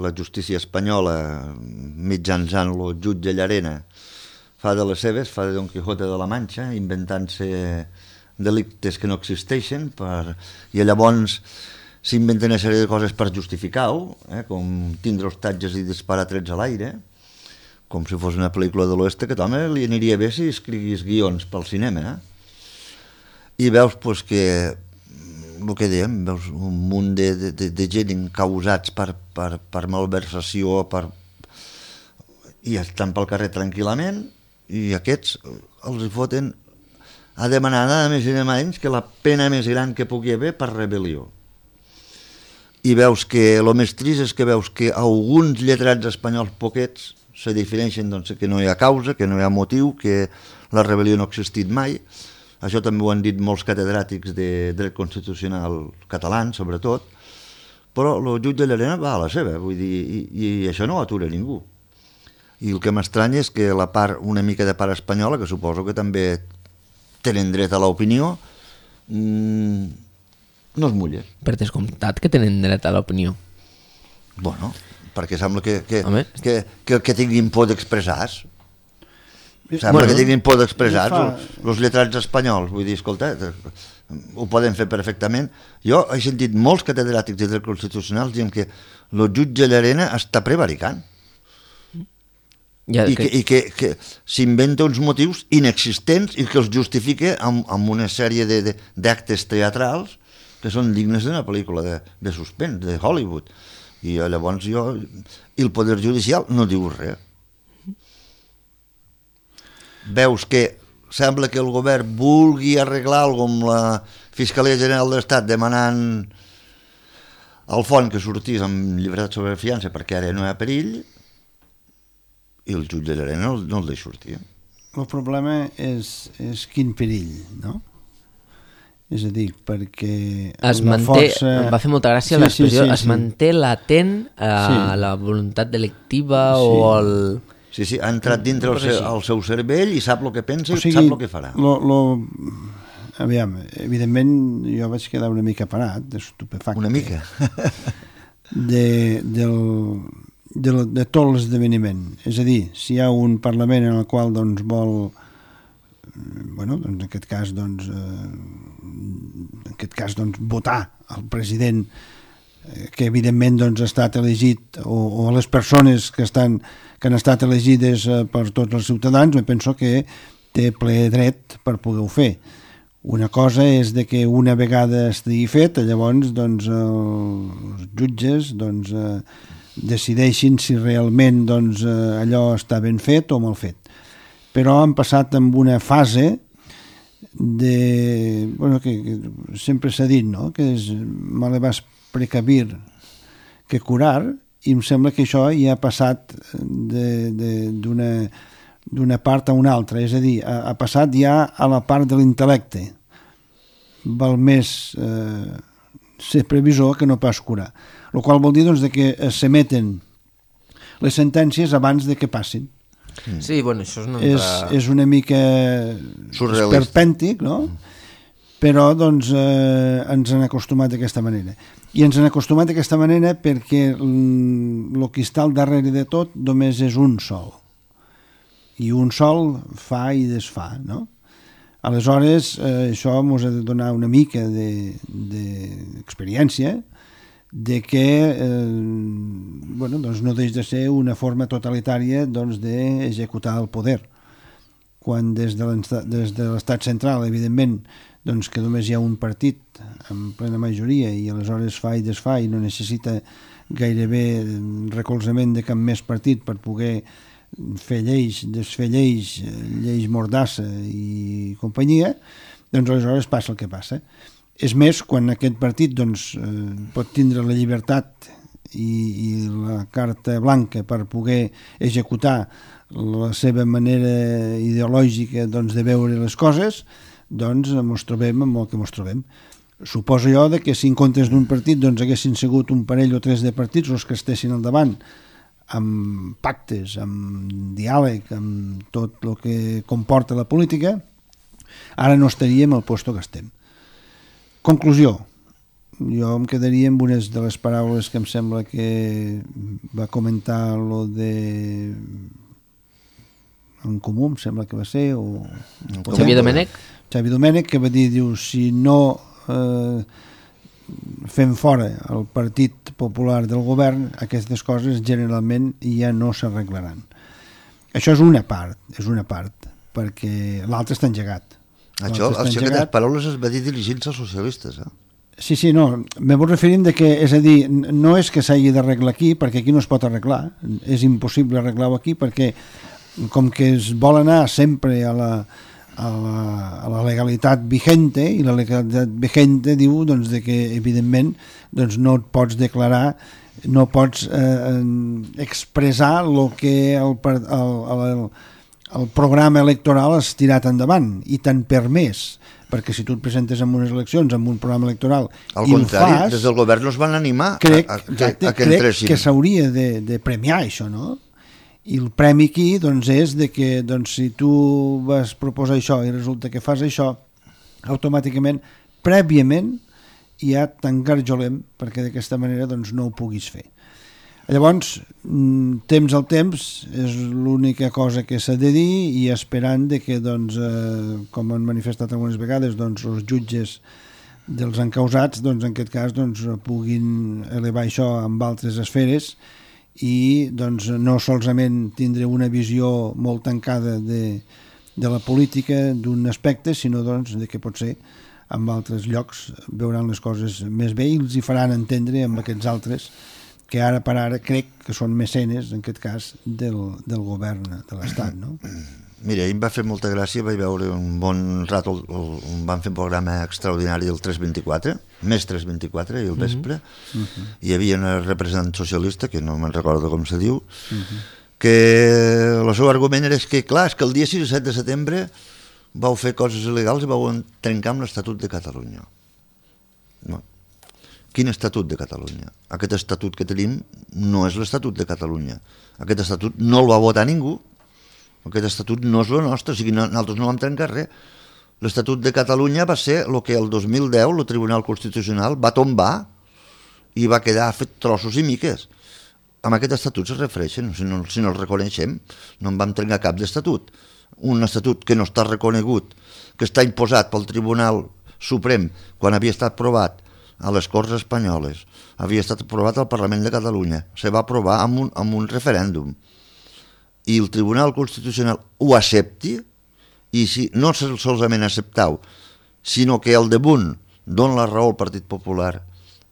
la justícia espanyola, mitjançant el jutge Llarena, fa de les seves, fa de Don Quijote de la Manxa, inventant-se delictes que no existeixen, per... i llavors s'inventen una sèrie de coses per justificar-ho, eh? Com tindre hostatges i disparar trets a l'aire, com si fos una pel·lícula de l'oeste, que també li aniria bé si escriguis guions pel cinema. Eh? I veus pues, que, el que dèiem, veus un munt de, de, de gent encausats per, per, per malversació, per... i estan pel carrer tranquil·lament, i aquests els foten a demanar nada més i nada menys que la pena més gran que pugui haver per rebel·lió. I veus que el més trist és que veus que alguns lletrats espanyols poquets se difereixen doncs, que no hi ha causa, que no hi ha motiu, que la rebel·lió no ha existit mai. Això també ho han dit molts catedràtics de dret constitucional catalans, sobretot, però el jutge Llarena va a la seva, vull dir, i, i això no ho atura ningú. I el que m'estranya és que la part, una mica de part espanyola, que suposo que també tenen dret a l'opinió, mmm, no es mulla. Per descomptat que tenen dret a l'opinió. Bueno, perquè sembla que, que, Home. que, que, que tinguin por d'expressar-se. Sembla bueno, que tinguin por d'expressar-se. fa... Els lletrats espanyols, vull dir, escolta, ho poden fer perfectament. Jo he sentit molts catedràtics de dret constitucional dient que el jutge Llarena està prevaricant. Ja, i que, que, que, que s'inventa uns motius inexistents i que els justifica amb, amb una sèrie d'actes teatrals que són dignes d'una pel·lícula de, de suspens, de Hollywood. I llavors jo... I el Poder Judicial no diu res. Veus que sembla que el govern vulgui arreglar alguna amb la Fiscalia General de l'Estat demanant al fons que sortís amb llibertat sobre fiança perquè ara no hi ha perill, i el jutge Llarena no, no el deixa sortir. El problema és, és quin perill, no? És a dir, perquè es una manté, força... em va fer molta gràcia sí, l'expressió, sí, sí, es sí. manté latent a Sí. la voluntat delictiva Sí. o el... Sí, sí, ha entrat dintre el seu, el seu cervell i sap el que pensa O i sigui, sap el que farà. Lo, lo... Aviam, evidentment jo vaig quedar una mica parat, estupefacte. Una mica. de, del, de, lo, de tot l'esdeveniment. És a dir, si hi ha un Parlament en el qual doncs, vol, bueno, doncs, en aquest cas, doncs, eh, en aquest cas doncs, votar el president eh, que evidentment doncs, ha estat elegit, o, o les persones que, estan, que han estat elegides eh, per tots els ciutadans, me penso que té ple dret per poder-ho fer. Una cosa és de que una vegada estigui fet, llavors doncs, els jutges doncs, eh, decideixin si realment doncs, eh, allò està ben fet o mal fet. Però han passat amb una fase de... Bueno, que, que sempre s'ha dit, no?, que és male vas precavir que curar, i em sembla que això ja ha passat d'una... d'una part a una altra, és a dir, ha, ha passat ja a la part de l'intel·lecte. Val més eh, ser previsor que no pas curar. El qual vol dir doncs, de que s'emeten les sentències abans de que passin. Sí, bueno, això és una... És, és una mica esperpèntic, no? Però doncs, eh, ens han acostumat d'aquesta manera. I ens han acostumat d'aquesta manera perquè el que està al darrere de tot només és un sol. I un sol fa i desfà, no? Aleshores, eh, això ens ha de donar una mica d'experiència de, de que eh, bueno, doncs no deixa de ser una forma totalitària doncs, d'executar el poder. Quan des de l'estat central, evidentment, doncs que només hi ha un partit amb plena majoria i aleshores fa i desfà i no necessita gairebé recolzament de cap més partit per poder fer lleis, desfer lleis, lleis mordassa i companyia, doncs aleshores passa el que passa. És més, quan aquest partit doncs, pot tindre la llibertat i, i la carta blanca per poder executar la seva manera ideològica doncs, de veure les coses, doncs ens trobem amb el que ens trobem. Suposo jo de que si en comptes d'un partit doncs, haguessin sigut un parell o tres de partits els que estessin al davant amb pactes, amb diàleg, amb tot el que comporta la política, ara no estaríem al lloc que estem. Conclusió. Jo em quedaria amb unes de les paraules que em sembla que va comentar lo de en Comú, em sembla que va ser, o... Xavier Domènech? Xavier Domènech, que va dir, diu, si no eh, fem fora el Partit Popular del govern, aquestes coses generalment ja no s'arreglaran. Això és una part, és una part, perquè l'altre està engegat. Això, això aquestes paraules es va dir dirigint-se als socialistes, eh? Sí, sí, no, me vull referir de que, és a dir, no és que s'hagi d'arreglar aquí, perquè aquí no es pot arreglar, és impossible arreglar-ho aquí, perquè com que es vol anar sempre a la, a la, a la legalitat vigente, i la legalitat vigente diu doncs, de que, evidentment, doncs, no et pots declarar, no pots eh, expressar el que el, el, el, el programa electoral has tirat endavant, i t'han permès, perquè si tu et presentes en unes eleccions amb un programa electoral al i contrari, ho fas, des del govern no es van animar crec, a, a, exacte, a que crec entressin. Que s'hauria de, de premiar això, no? I el premi aquí doncs, és de que doncs, si tu vas proposar això i resulta que fas això, automàticament, prèviament, ja t'engarjolem perquè d'aquesta manera doncs, no ho puguis fer. Llavors, temps al temps és l'única cosa que s'ha de dir, i esperant de que, doncs, eh, com han manifestat algunes vegades, doncs, els jutges dels encausats, doncs, en aquest cas, doncs, puguin elevar això amb altres esferes i doncs, no solament tindre una visió molt tancada de, de la política d'un aspecte, sinó doncs, de que potser en altres llocs veuran les coses més bé i els hi faran entendre amb aquests altres que ara per ara crec que són mecenes, en aquest cas, del, del govern de l'Estat, no? Mira, ahir em va fer molta gràcia, vaig veure un bon rato, on van fer un programa extraordinari del tres vint-i-quatre, més tres vint-i-quatre, i al vespre, uh-huh. Hi havia una representant socialista, que no me'n recordo com se diu, uh-huh. Que el seu argument era que, clar, és que el dia sis i set de setembre vau fer coses il·legals i vau trencar amb l'Estatut de Catalunya. No. Quin estatut de Catalunya? Aquest estatut que tenim no és l'Estatut de Catalunya. Aquest estatut no el va votar ningú. Aquest estatut no és el nostre, o sigui, nosaltres no vam trencar res. L'Estatut de Catalunya va ser el que el dos mil deu el Tribunal Constitucional va tombar i va quedar fet trossos i miques. Amb aquest estatut es refereixen, si no, si no el reconeixem, no en vam trencar cap d'estatut. Un estatut que no està reconegut, que està imposat pel Tribunal Suprem quan havia estat aprovat a les Corts Espanyoles, havia estat aprovat al Parlament de Catalunya, se va aprovar amb un, amb un referèndum, i el Tribunal Constitucional ho accepti, i si no solament acceptau, sinó que el damunt dona la raó al Partit Popular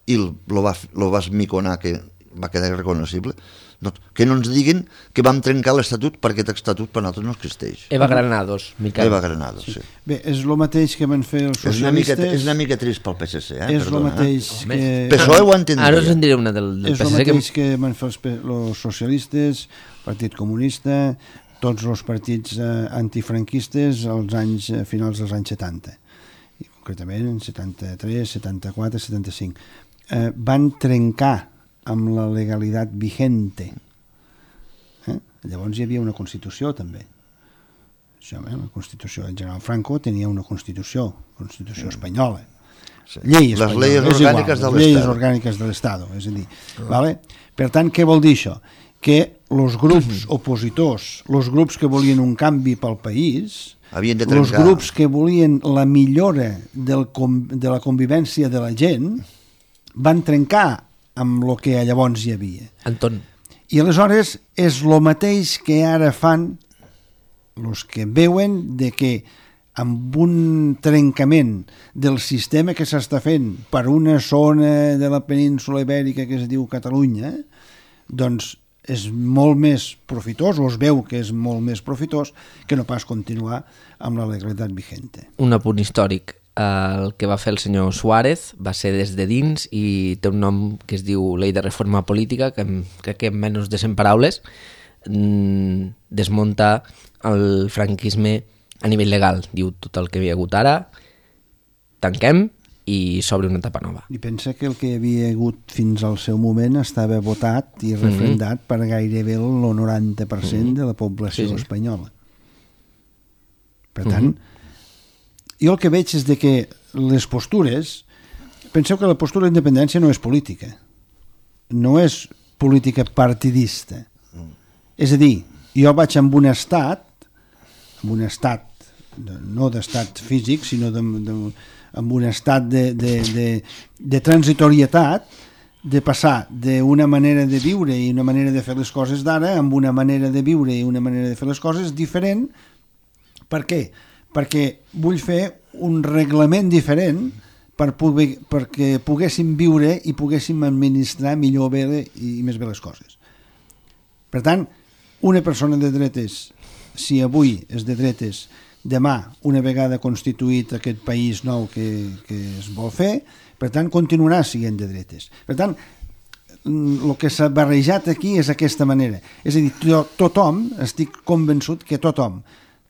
i el, lo, va, lo va esmiconar, que va quedar irreconocible, doncs, que no ens diguin que vam trencar l'Estatut perquè aquest Estatut per nosaltres no existeix. Eva Granados, Miquel. Eva Granados, sí. sí. Bé, és el mateix que van fer els socialistes... És una mica, és una mica trist pel P S C, eh? És el mateix eh? que... P S O E ho entendria. Ara us en diré una del, del és P S C. És el mateix que... que van fer els, els socialistes, Partit Comunista, tots els partits eh, antifranquistes als anys, eh, finals dels anys setanta. I concretament en setanta-tres, setanta-quatre, setanta-cinc. Eh, van trencar amb la legalitat vigente. Eh? Llavors hi havia una Constitució també. Això, eh? La Constitució, el general Franco tenia una Constitució, Constitució espanyola. Sí. Llei les espanyola, lleis és orgàniques igual, de les lleis l'Estat. orgàniques de l'Estat, és a dir, vale? Per tant, què vol dir això? Que els grups opositors, els grups que volien un canvi pel país, havien de els trencar. grups que volien la millora del, de la convivència de la gent, van trencar amb el que llavors hi havia. Anton. I aleshores és el mateix que ara fan els que veuen de que amb un trencament del sistema que s'està fent per una zona de la península ibèrica que es diu Catalunya, doncs és molt més profitós, o es veu que és molt més profitós, que no pas continuar amb la legalitat vigente. Un apunt històric. El que va fer el senyor Suárez va ser des de dins i té un nom que es diu Llei de Reforma Política, que crec que en menys de cent paraules mmm, desmunta el franquisme a nivell legal. Diu tot el que hi ha hagut ara, tanquem i s'obre una etapa nova. I pensa que el que hi havia hagut fins al seu moment estava votat i refrendat mm-hmm. per gairebé el noranta per cent mm-hmm. de la població sí, sí. espanyola. Per tant, mm-hmm. jo el que veig és de que les postures, penseu que la postura d'independència no és política, no és política partidista. Mm. És a dir, jo vaig amb un estat, amb un estat, no d'estat físic, sinó de, de, amb un estat de, de, de, de transitorietat, de passar d'una manera de viure i una manera de fer les coses d'ara amb una manera de viure i una manera de fer les coses diferent. Per què? Perquè vull fer un reglament diferent per poder, perquè poguéssim viure i poguéssim administrar millor bé i més bé les coses. Per tant, una persona de dretes, si avui és de dretes, demà, una vegada constituït aquest país nou que, que es vol fer, per tant, continuarà sent de dretes. Per tant, el que s'ha barrejat aquí és aquesta manera. És a dir, to, tothom, estic convençut que tothom,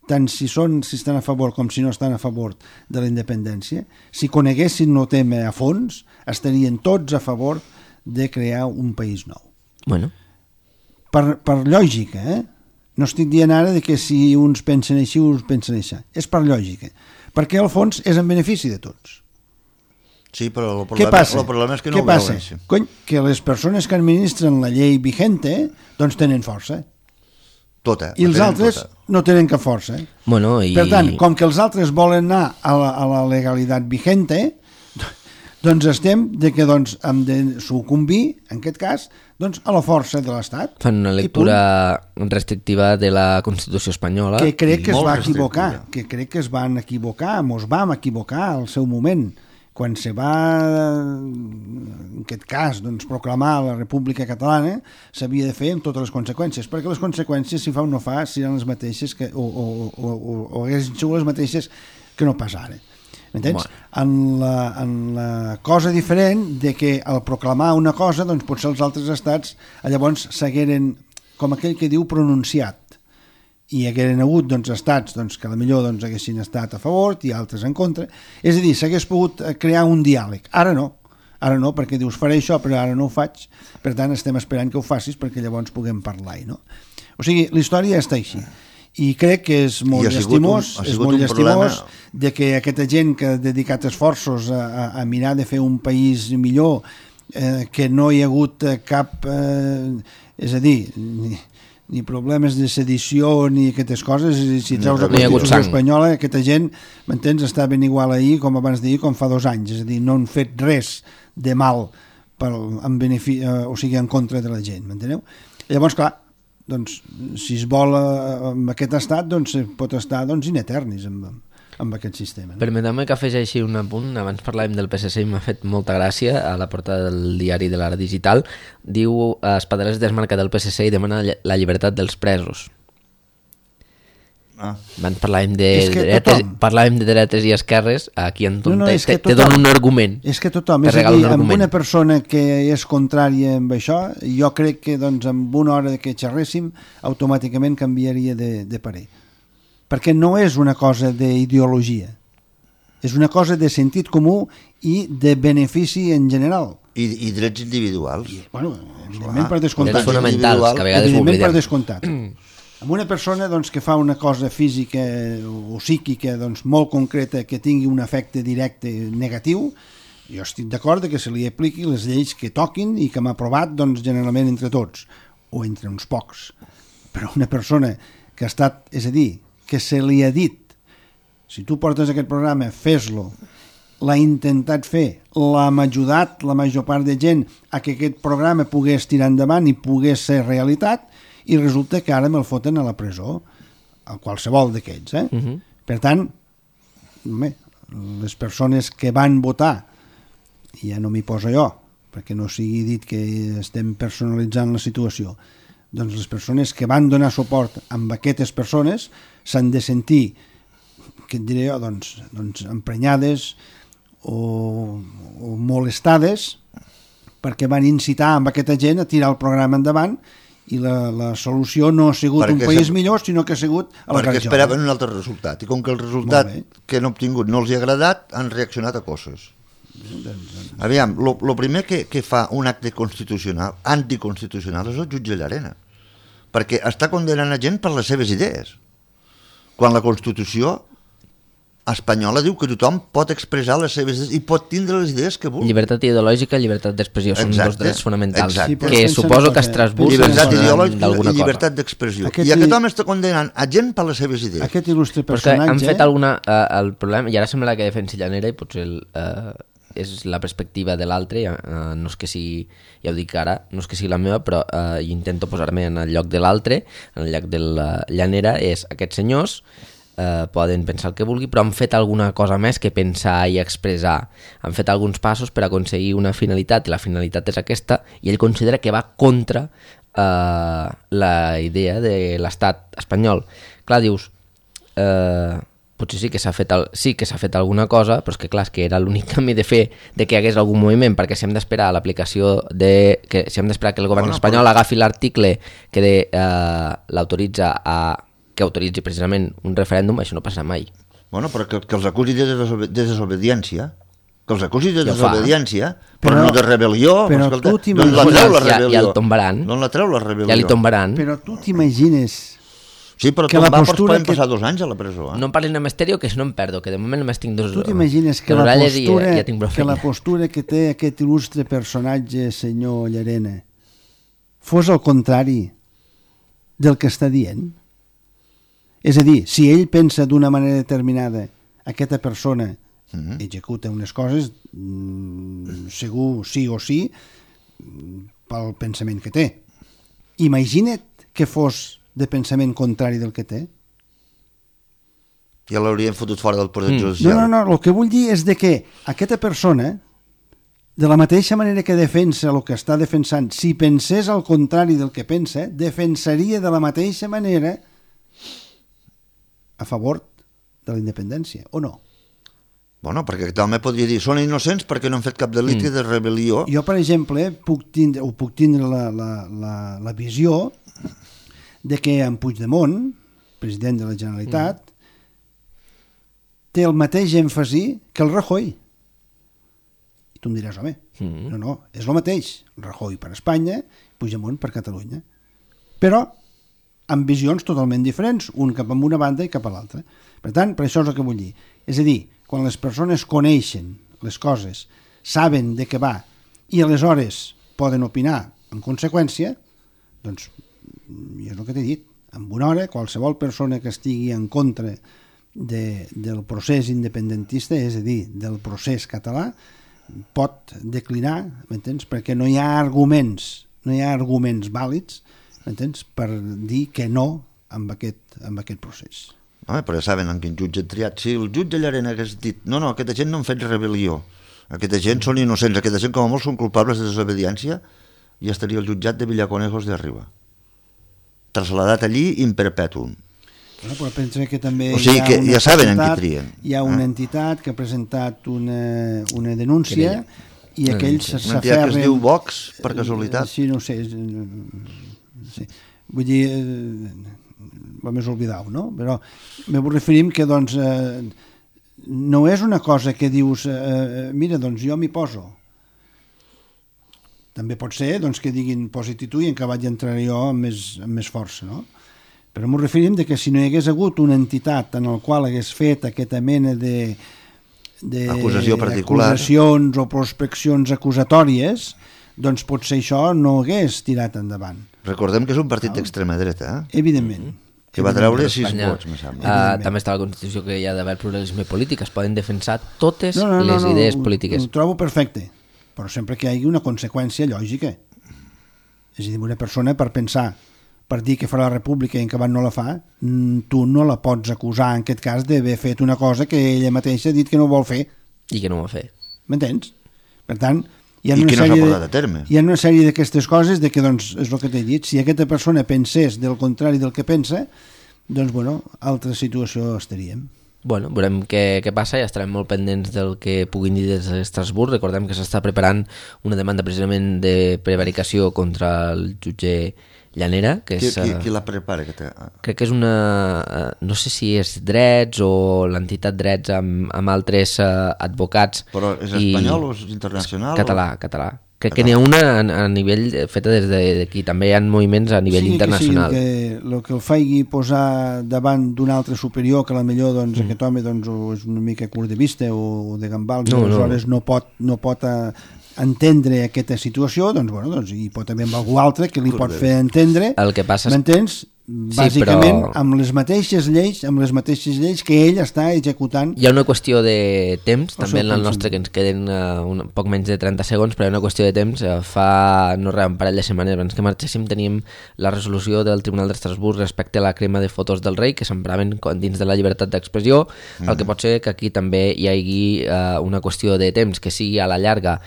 tant si, són, si estan a favor com si no estan a favor de la independència, si coneguessin el tema a fons, estarien tots a favor de crear un país nou. Bueno. Per, per lògica, eh? No estic dient ara de que si uns pensen així, uns pensen així. És per lògica. Perquè al fons és en benefici de tots. Sí, però el problema, Què passa? El problema és que no Què ho passa? veuen. Cony, que les persones que administren la llei vigente doncs tenen força. Tota. I els altres tota. no tenen cap força. Bueno, i... Per tant, com que els altres volen anar a la, a la legalitat vigente, doncs estem de que doncs, hem de sucumbir, en aquest cas, doncs, a la força de l'Estat. Fan una lectura restrictiva de la Constitució espanyola. Que crec que es va equivocar, que crec que es van equivocar, mos vam equivocar al seu moment, quan se va, en aquest cas, doncs, proclamar la República Catalana, s'havia de fer amb totes les conseqüències, perquè les conseqüències, si fa o no fa, seran les mateixes, que, o, o, o, o, o haguessin sigut les mateixes que no pas ara. M'entens? Bueno. En, la, en la cosa diferent de que al proclamar una cosa, doncs potser els altres estats llavors s'hagueren, com aquell que diu, pronunciat. I hagueren hagut doncs, estats doncs, que potser doncs, haguessin estat a favor i altres en contra. És a dir, s'hagués pogut crear un diàleg. Ara no. Ara no, perquè dius, faré això, però ara no ho faig. Per tant, estem esperant que ho facis perquè llavors puguem parlar. No? O sigui, la història està així. I crec que és molt llastimós, un, és molt llastimós problema... de que aquesta gent que ha dedicat esforços a, a, a mirar de fer un país millor, eh, que no hi ha hagut cap, eh, és a dir, ni, ni problemes de sedició ni aquestes coses, si treus la Constitució espanyola, aquesta gent, m'entens, està ben igual ahir com abans d'ahir, com fa dos anys, és a dir, no han fet res de mal per, en benefici, eh, o sigui, en contra de la gent, m'enteneu? Llavors, clar, doncs, si es vol amb aquest estat, doncs pot estar doncs, in eternis amb, amb aquest sistema. No? Permeteu-me que afegeixi un apunt. Abans parlàvem del P S C i m'ha fet molta gràcia. A la portada del diari de l'Ara Digital diu Espadaler es desmarca del P S C i demana la llibertat dels presos. Ah. Abans parlàvem de, dretes, parlàvem de dretes i esquerres. Aquí en no, no, te, te dono un argument. És que tothom, és a dir, un amb una persona que és contrària amb això, jo crec que doncs, amb una hora que xerréssim automàticament canviaria de, de parer. Perquè no és una cosa d'ideologia, és una cosa de sentit comú i de benefici en general. I, i drets individuals. I, bueno, evidentment per descomptat. Drets fonamentals, que a vegades evidentment per descomptat. amb una persona doncs, que fa una cosa física o psíquica doncs, molt concreta que tingui un efecte directe negatiu, jo estic d'acord que se li apliqui les lleis que toquin i que m'ha aprovat doncs, generalment entre tots, o entre uns pocs. Però una persona que ha estat, és a dir, que se li ha dit, si tu portes aquest programa, fes-lo, l'ha intentat fer, l'hem ajudat la major part de gent a que aquest programa pogués tirar endavant i pogués ser realitat, i resulta que ara me'l foten a la presó, a qualsevol d'aquests. Eh? Uh-huh. Per tant, home, les persones que van votar, ja no m'hi poso jo, perquè no sigui dit que estem personalitzant la situació, doncs les persones que van donar suport amb aquestes persones s'han de sentir, què et diré jo, doncs, doncs emprenyades o, o molestades perquè van incitar amb aquesta gent a tirar el programa endavant i la, la solució no ha sigut perquè un país se... millor, sinó que ha sigut a la perquè esperaven un altre resultat i com que el resultat que han obtingut no els ha agradat, han reaccionat a coses. Aviam, lo, lo primer que, que fa un acte constitucional, anticonstitucional, és el jutge Llarena, perquè està condenant a gent per les seves idees, quan la Constitució espanyola diu que tothom pot expressar les seves idees i pot tindre les idees que vulgui. Llibertat ideològica i llibertat d'expressió són exacte, dos drets fonamentals, exacte. que suposo que a Estrasburg llibertat ideològica i llibertat d'expressió. Aquest I aquest home està condenant a gent per les seves idees. Aquest il·lustre personatge... Però han fet alguna... Uh, el problema, i ara sembla que defensi Llanera i potser el, uh, és la perspectiva de l'altre, uh, no és que sigui, ja ho dic ara, no és que sigui la meva, però uh, intento posar-me en el lloc de l'altre, en el lloc de la Llanera, és aquests senyors eh, poden pensar el que vulgui, però han fet alguna cosa més que pensar i expressar. Han fet alguns passos per aconseguir una finalitat, i la finalitat és aquesta, i ell considera que va contra eh, la idea de l'estat espanyol. Clar, dius, eh, potser sí que s'ha fet, el, sí que s'ha fet alguna cosa, però és que clar, és que era l'únic camí de fer de que hi hagués algun moviment, perquè si hem d'esperar l'aplicació de... que si hem d'esperar que el govern bueno, espanyol però... agafi l'article que de, eh, l'autoritza a... que autoritzi precisament un referèndum, això no passa mai. Bueno, però que, que els acusi de, desobe de desobediència, que els acusi de desobediència, però, però no de rebel·lió, però escolta, tu no la treu la rebel·lió. Ja, ja el tombaran. No la treu la rebel·lió. Ja li tombaran. Però tu t'imagines... Sí, però que la postura poden passar que... dos anys a la presó. Eh? No em parlin de Misterio, que si no em perdo, que de moment només tinc dos... Tu t'imagines que, la postura, ja, ja que la postura que té aquest il·lustre personatge, senyor Llarena, fos el contrari del que està dient? És a dir, si ell pensa d'una manera determinada, aquesta persona mm-hmm. executa unes coses, mm, segur sí o sí, pel pensament que té. Imagina't que fos de pensament contrari del que té. Ja l'haurien fotut fora del poder mm. judicial. No, no, no, el que vull dir és de que aquesta persona, de la mateixa manera que defensa el que està defensant, si pensés al contrari del que pensa, defensaria de la mateixa manera a favor de la independència, o no? Bueno, perquè també podria dir, són innocents perquè no han fet cap delicte mm. de rebel·lió. Jo, per exemple, puc tindre, o puc tindre la, la, la, la visió de que en Puigdemont, president de la Generalitat, mm. té el mateix èmfasi que el Rajoy. I tu em diràs, home, mm. no, no, és el mateix. Rajoy per Espanya, Puigdemont per Catalunya. Però amb visions totalment diferents, un cap a una banda i cap a l'altra. Per tant, per això és el que vull dir. És a dir, quan les persones coneixen les coses, saben de què va, i aleshores poden opinar en conseqüència, doncs, jo és el que t'he dit, en una hora, qualsevol persona que estigui en contra de, del procés independentista, és a dir, del procés català, pot declinar, m'entens? Perquè no hi ha arguments, no hi ha arguments vàlids, m'entens? Per dir que no amb aquest, amb aquest procés. Home, però ja saben en quin jutge han triat. Si el jutge Llarena hagués dit no, no, aquesta gent no han fet rebel·lió, aquesta gent són innocents, aquesta gent com a molt són culpables de desobediència, i estaria el jutjat de Villaconejos de Arriba, trasladat allí in perpetuum. Bueno, però pensa que també o sigui, hi ha que una ja saben entitat, en qui trien. Hi ha una eh? entitat que ha presentat una, una denúncia i aquells s'aferren... Una entitat que es diu Vox, per casualitat. Sí, no ho sé, sí. Vull dir, eh, més oblidau, no? Però me referim que, doncs, eh, no és una cosa que dius, eh, mira, doncs jo m'hi poso. També pot ser doncs, que diguin posi-t'hi tu i en que vaig entrar jo amb més, amb més força, no? Però m'ho referim de que si no hi hagués hagut una entitat en el qual hagués fet aquesta mena de, de acusació particular, acusacions o prospeccions acusatòries, doncs potser això no hagués tirat endavant. Recordem que és un partit d'extrema dreta, eh? Evidentment. Que va treure sis vots, me sembla. Uh, també està a la Constitució que hi ha d'haver pluralisme polític, es poden defensar totes no, no, no, les no, idees ho, polítiques. Ho trobo perfecte, però sempre que hi hagi una conseqüència lògica. És a dir, una persona per pensar, per dir que farà la república i en acabat no la fa, tu no la pots acusar en aquest cas d'haver fet una cosa que ella mateixa ha dit que no vol fer. I que no ho va fer. M'entens? Per tant, hi ha I una que no s'ha sèrie portat de, a terme. hi ha una sèrie d'aquestes coses de que, doncs, és el que t'he dit, si aquesta persona pensés del contrari del que pensa, doncs, bueno, altra situació estaríem. Bueno, veurem què, què passa i estarem molt pendents del que puguin dir des d'Estrasburg. Recordem que s'està preparant una demanda precisament de prevaricació contra el jutge Llanera, que és... Qui, qui, qui la prepara? Que te... Crec que és una... no sé si és Drets o l'entitat Drets amb, amb altres uh, advocats. Però és espanyol o és internacional? Català, o... català. Crec que n'hi ha una a, a nivell feta des d'aquí, també hi ha moviments a nivell sí, internacional. Sí, que el que el faigui posar davant d'un altre superior, que a la millor doncs, mm. aquest home doncs, és una mica curt de vista o de gambals, no, aleshores no, no pot, no pot a, entendre aquesta situació, doncs, bueno, doncs hi pot haver algú altre que li pot fer entendre. El que passa és... M'entens? Bàsicament, sí, però... amb les mateixes lleis, amb les mateixes lleis que ell està executant. Hi ha una qüestió de temps, també en el nostre, que ens queden uh, un poc menys de trenta segons, però hi ha una qüestió de temps. Uh, fa, no res, un parell de setmanes abans que marxéssim teníem la resolució del Tribunal d'Estrasburg respecte a la crema de fotos del rei, que s'empraven dins de la llibertat d'expressió, mm. el que pot ser que aquí també hi hagi uh, una qüestió de temps, que sigui a la llarga.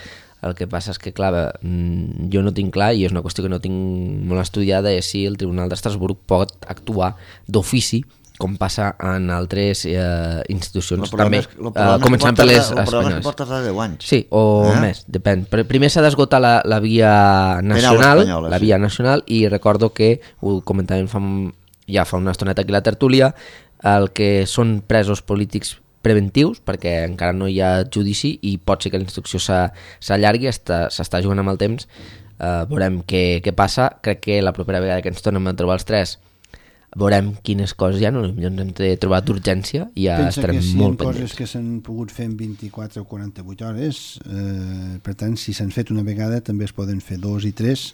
El que passa és que, clar, jo no tinc clar, i és una qüestió que no tinc molt estudiada, és si el Tribunal d'Estrasburg pot actuar d'ofici, com passa en altres eh, institucions. També, és, eh, començant per les espanyoles. El problema és que pot tardar deu anys. Sí, o eh? més, depèn. Primer s'ha d'esgotar la, la via nacional, espanyola, la via sí. nacional, i recordo que, ho comentàvem fa, ja fa una estoneta aquí a la tertúlia, el que són presos polítics preventius, perquè encara no hi ha judici i pot ser que la instrucció s'allargui, s'està jugant amb el temps, uh, veurem què, què passa. Crec que la propera vegada que ens tornem a trobar els tres veurem quines coses hi ha, no? Potser ens hem de trobar d'urgència i ja pensa estarem si molt pendents. Pensa que si hi ha coses que s'han pogut fer en vint-i-quatre o quaranta-vuit hores, eh, per tant, si s'han fet una vegada també es poden fer dos i tres,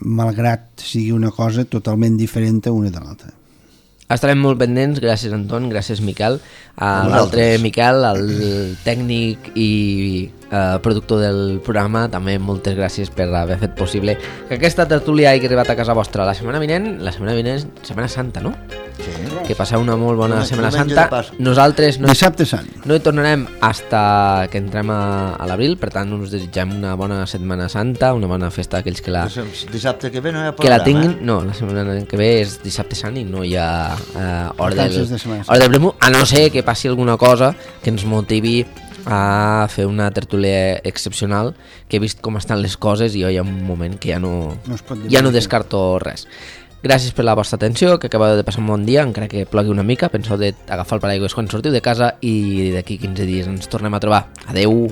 malgrat sigui una cosa totalment diferent a una de l'altra. Estarem molt pendents, gràcies Anton, gràcies Miquel, a l'altre Miquel, el tècnic i eh, productor del programa, també moltes gràcies per haver fet possible que aquesta tertúlia hagi arribat a casa vostra. La setmana vinent, la setmana vinent és Setmana Santa, no? Sí. Que passeu una molt bona no, Setmana Santa. Nosaltres no, Dissabte Sant. no hi tornarem hasta que entrem a, a l'abril, per tant us desitgem una bona Setmana Santa, una bona festa a aquells que la... Dissabte que ve no hi ha programa, que la tinguin, eh? no, la setmana que ve és Dissabte Sant i no hi ha uh, hora del, de hora del premu, a no ser que passi alguna cosa que ens motivi a fer una tertúlia excepcional, que he vist com estan les coses i jo hi ha un moment que ja no, no ja no descarto res. Gràcies per la vostra atenció, que acabeu de passar un bon dia, encara que plogui una mica, penseu d'agafar el paraigües quan sortiu de casa i d'aquí quinze dies ens tornem a trobar. Adeu!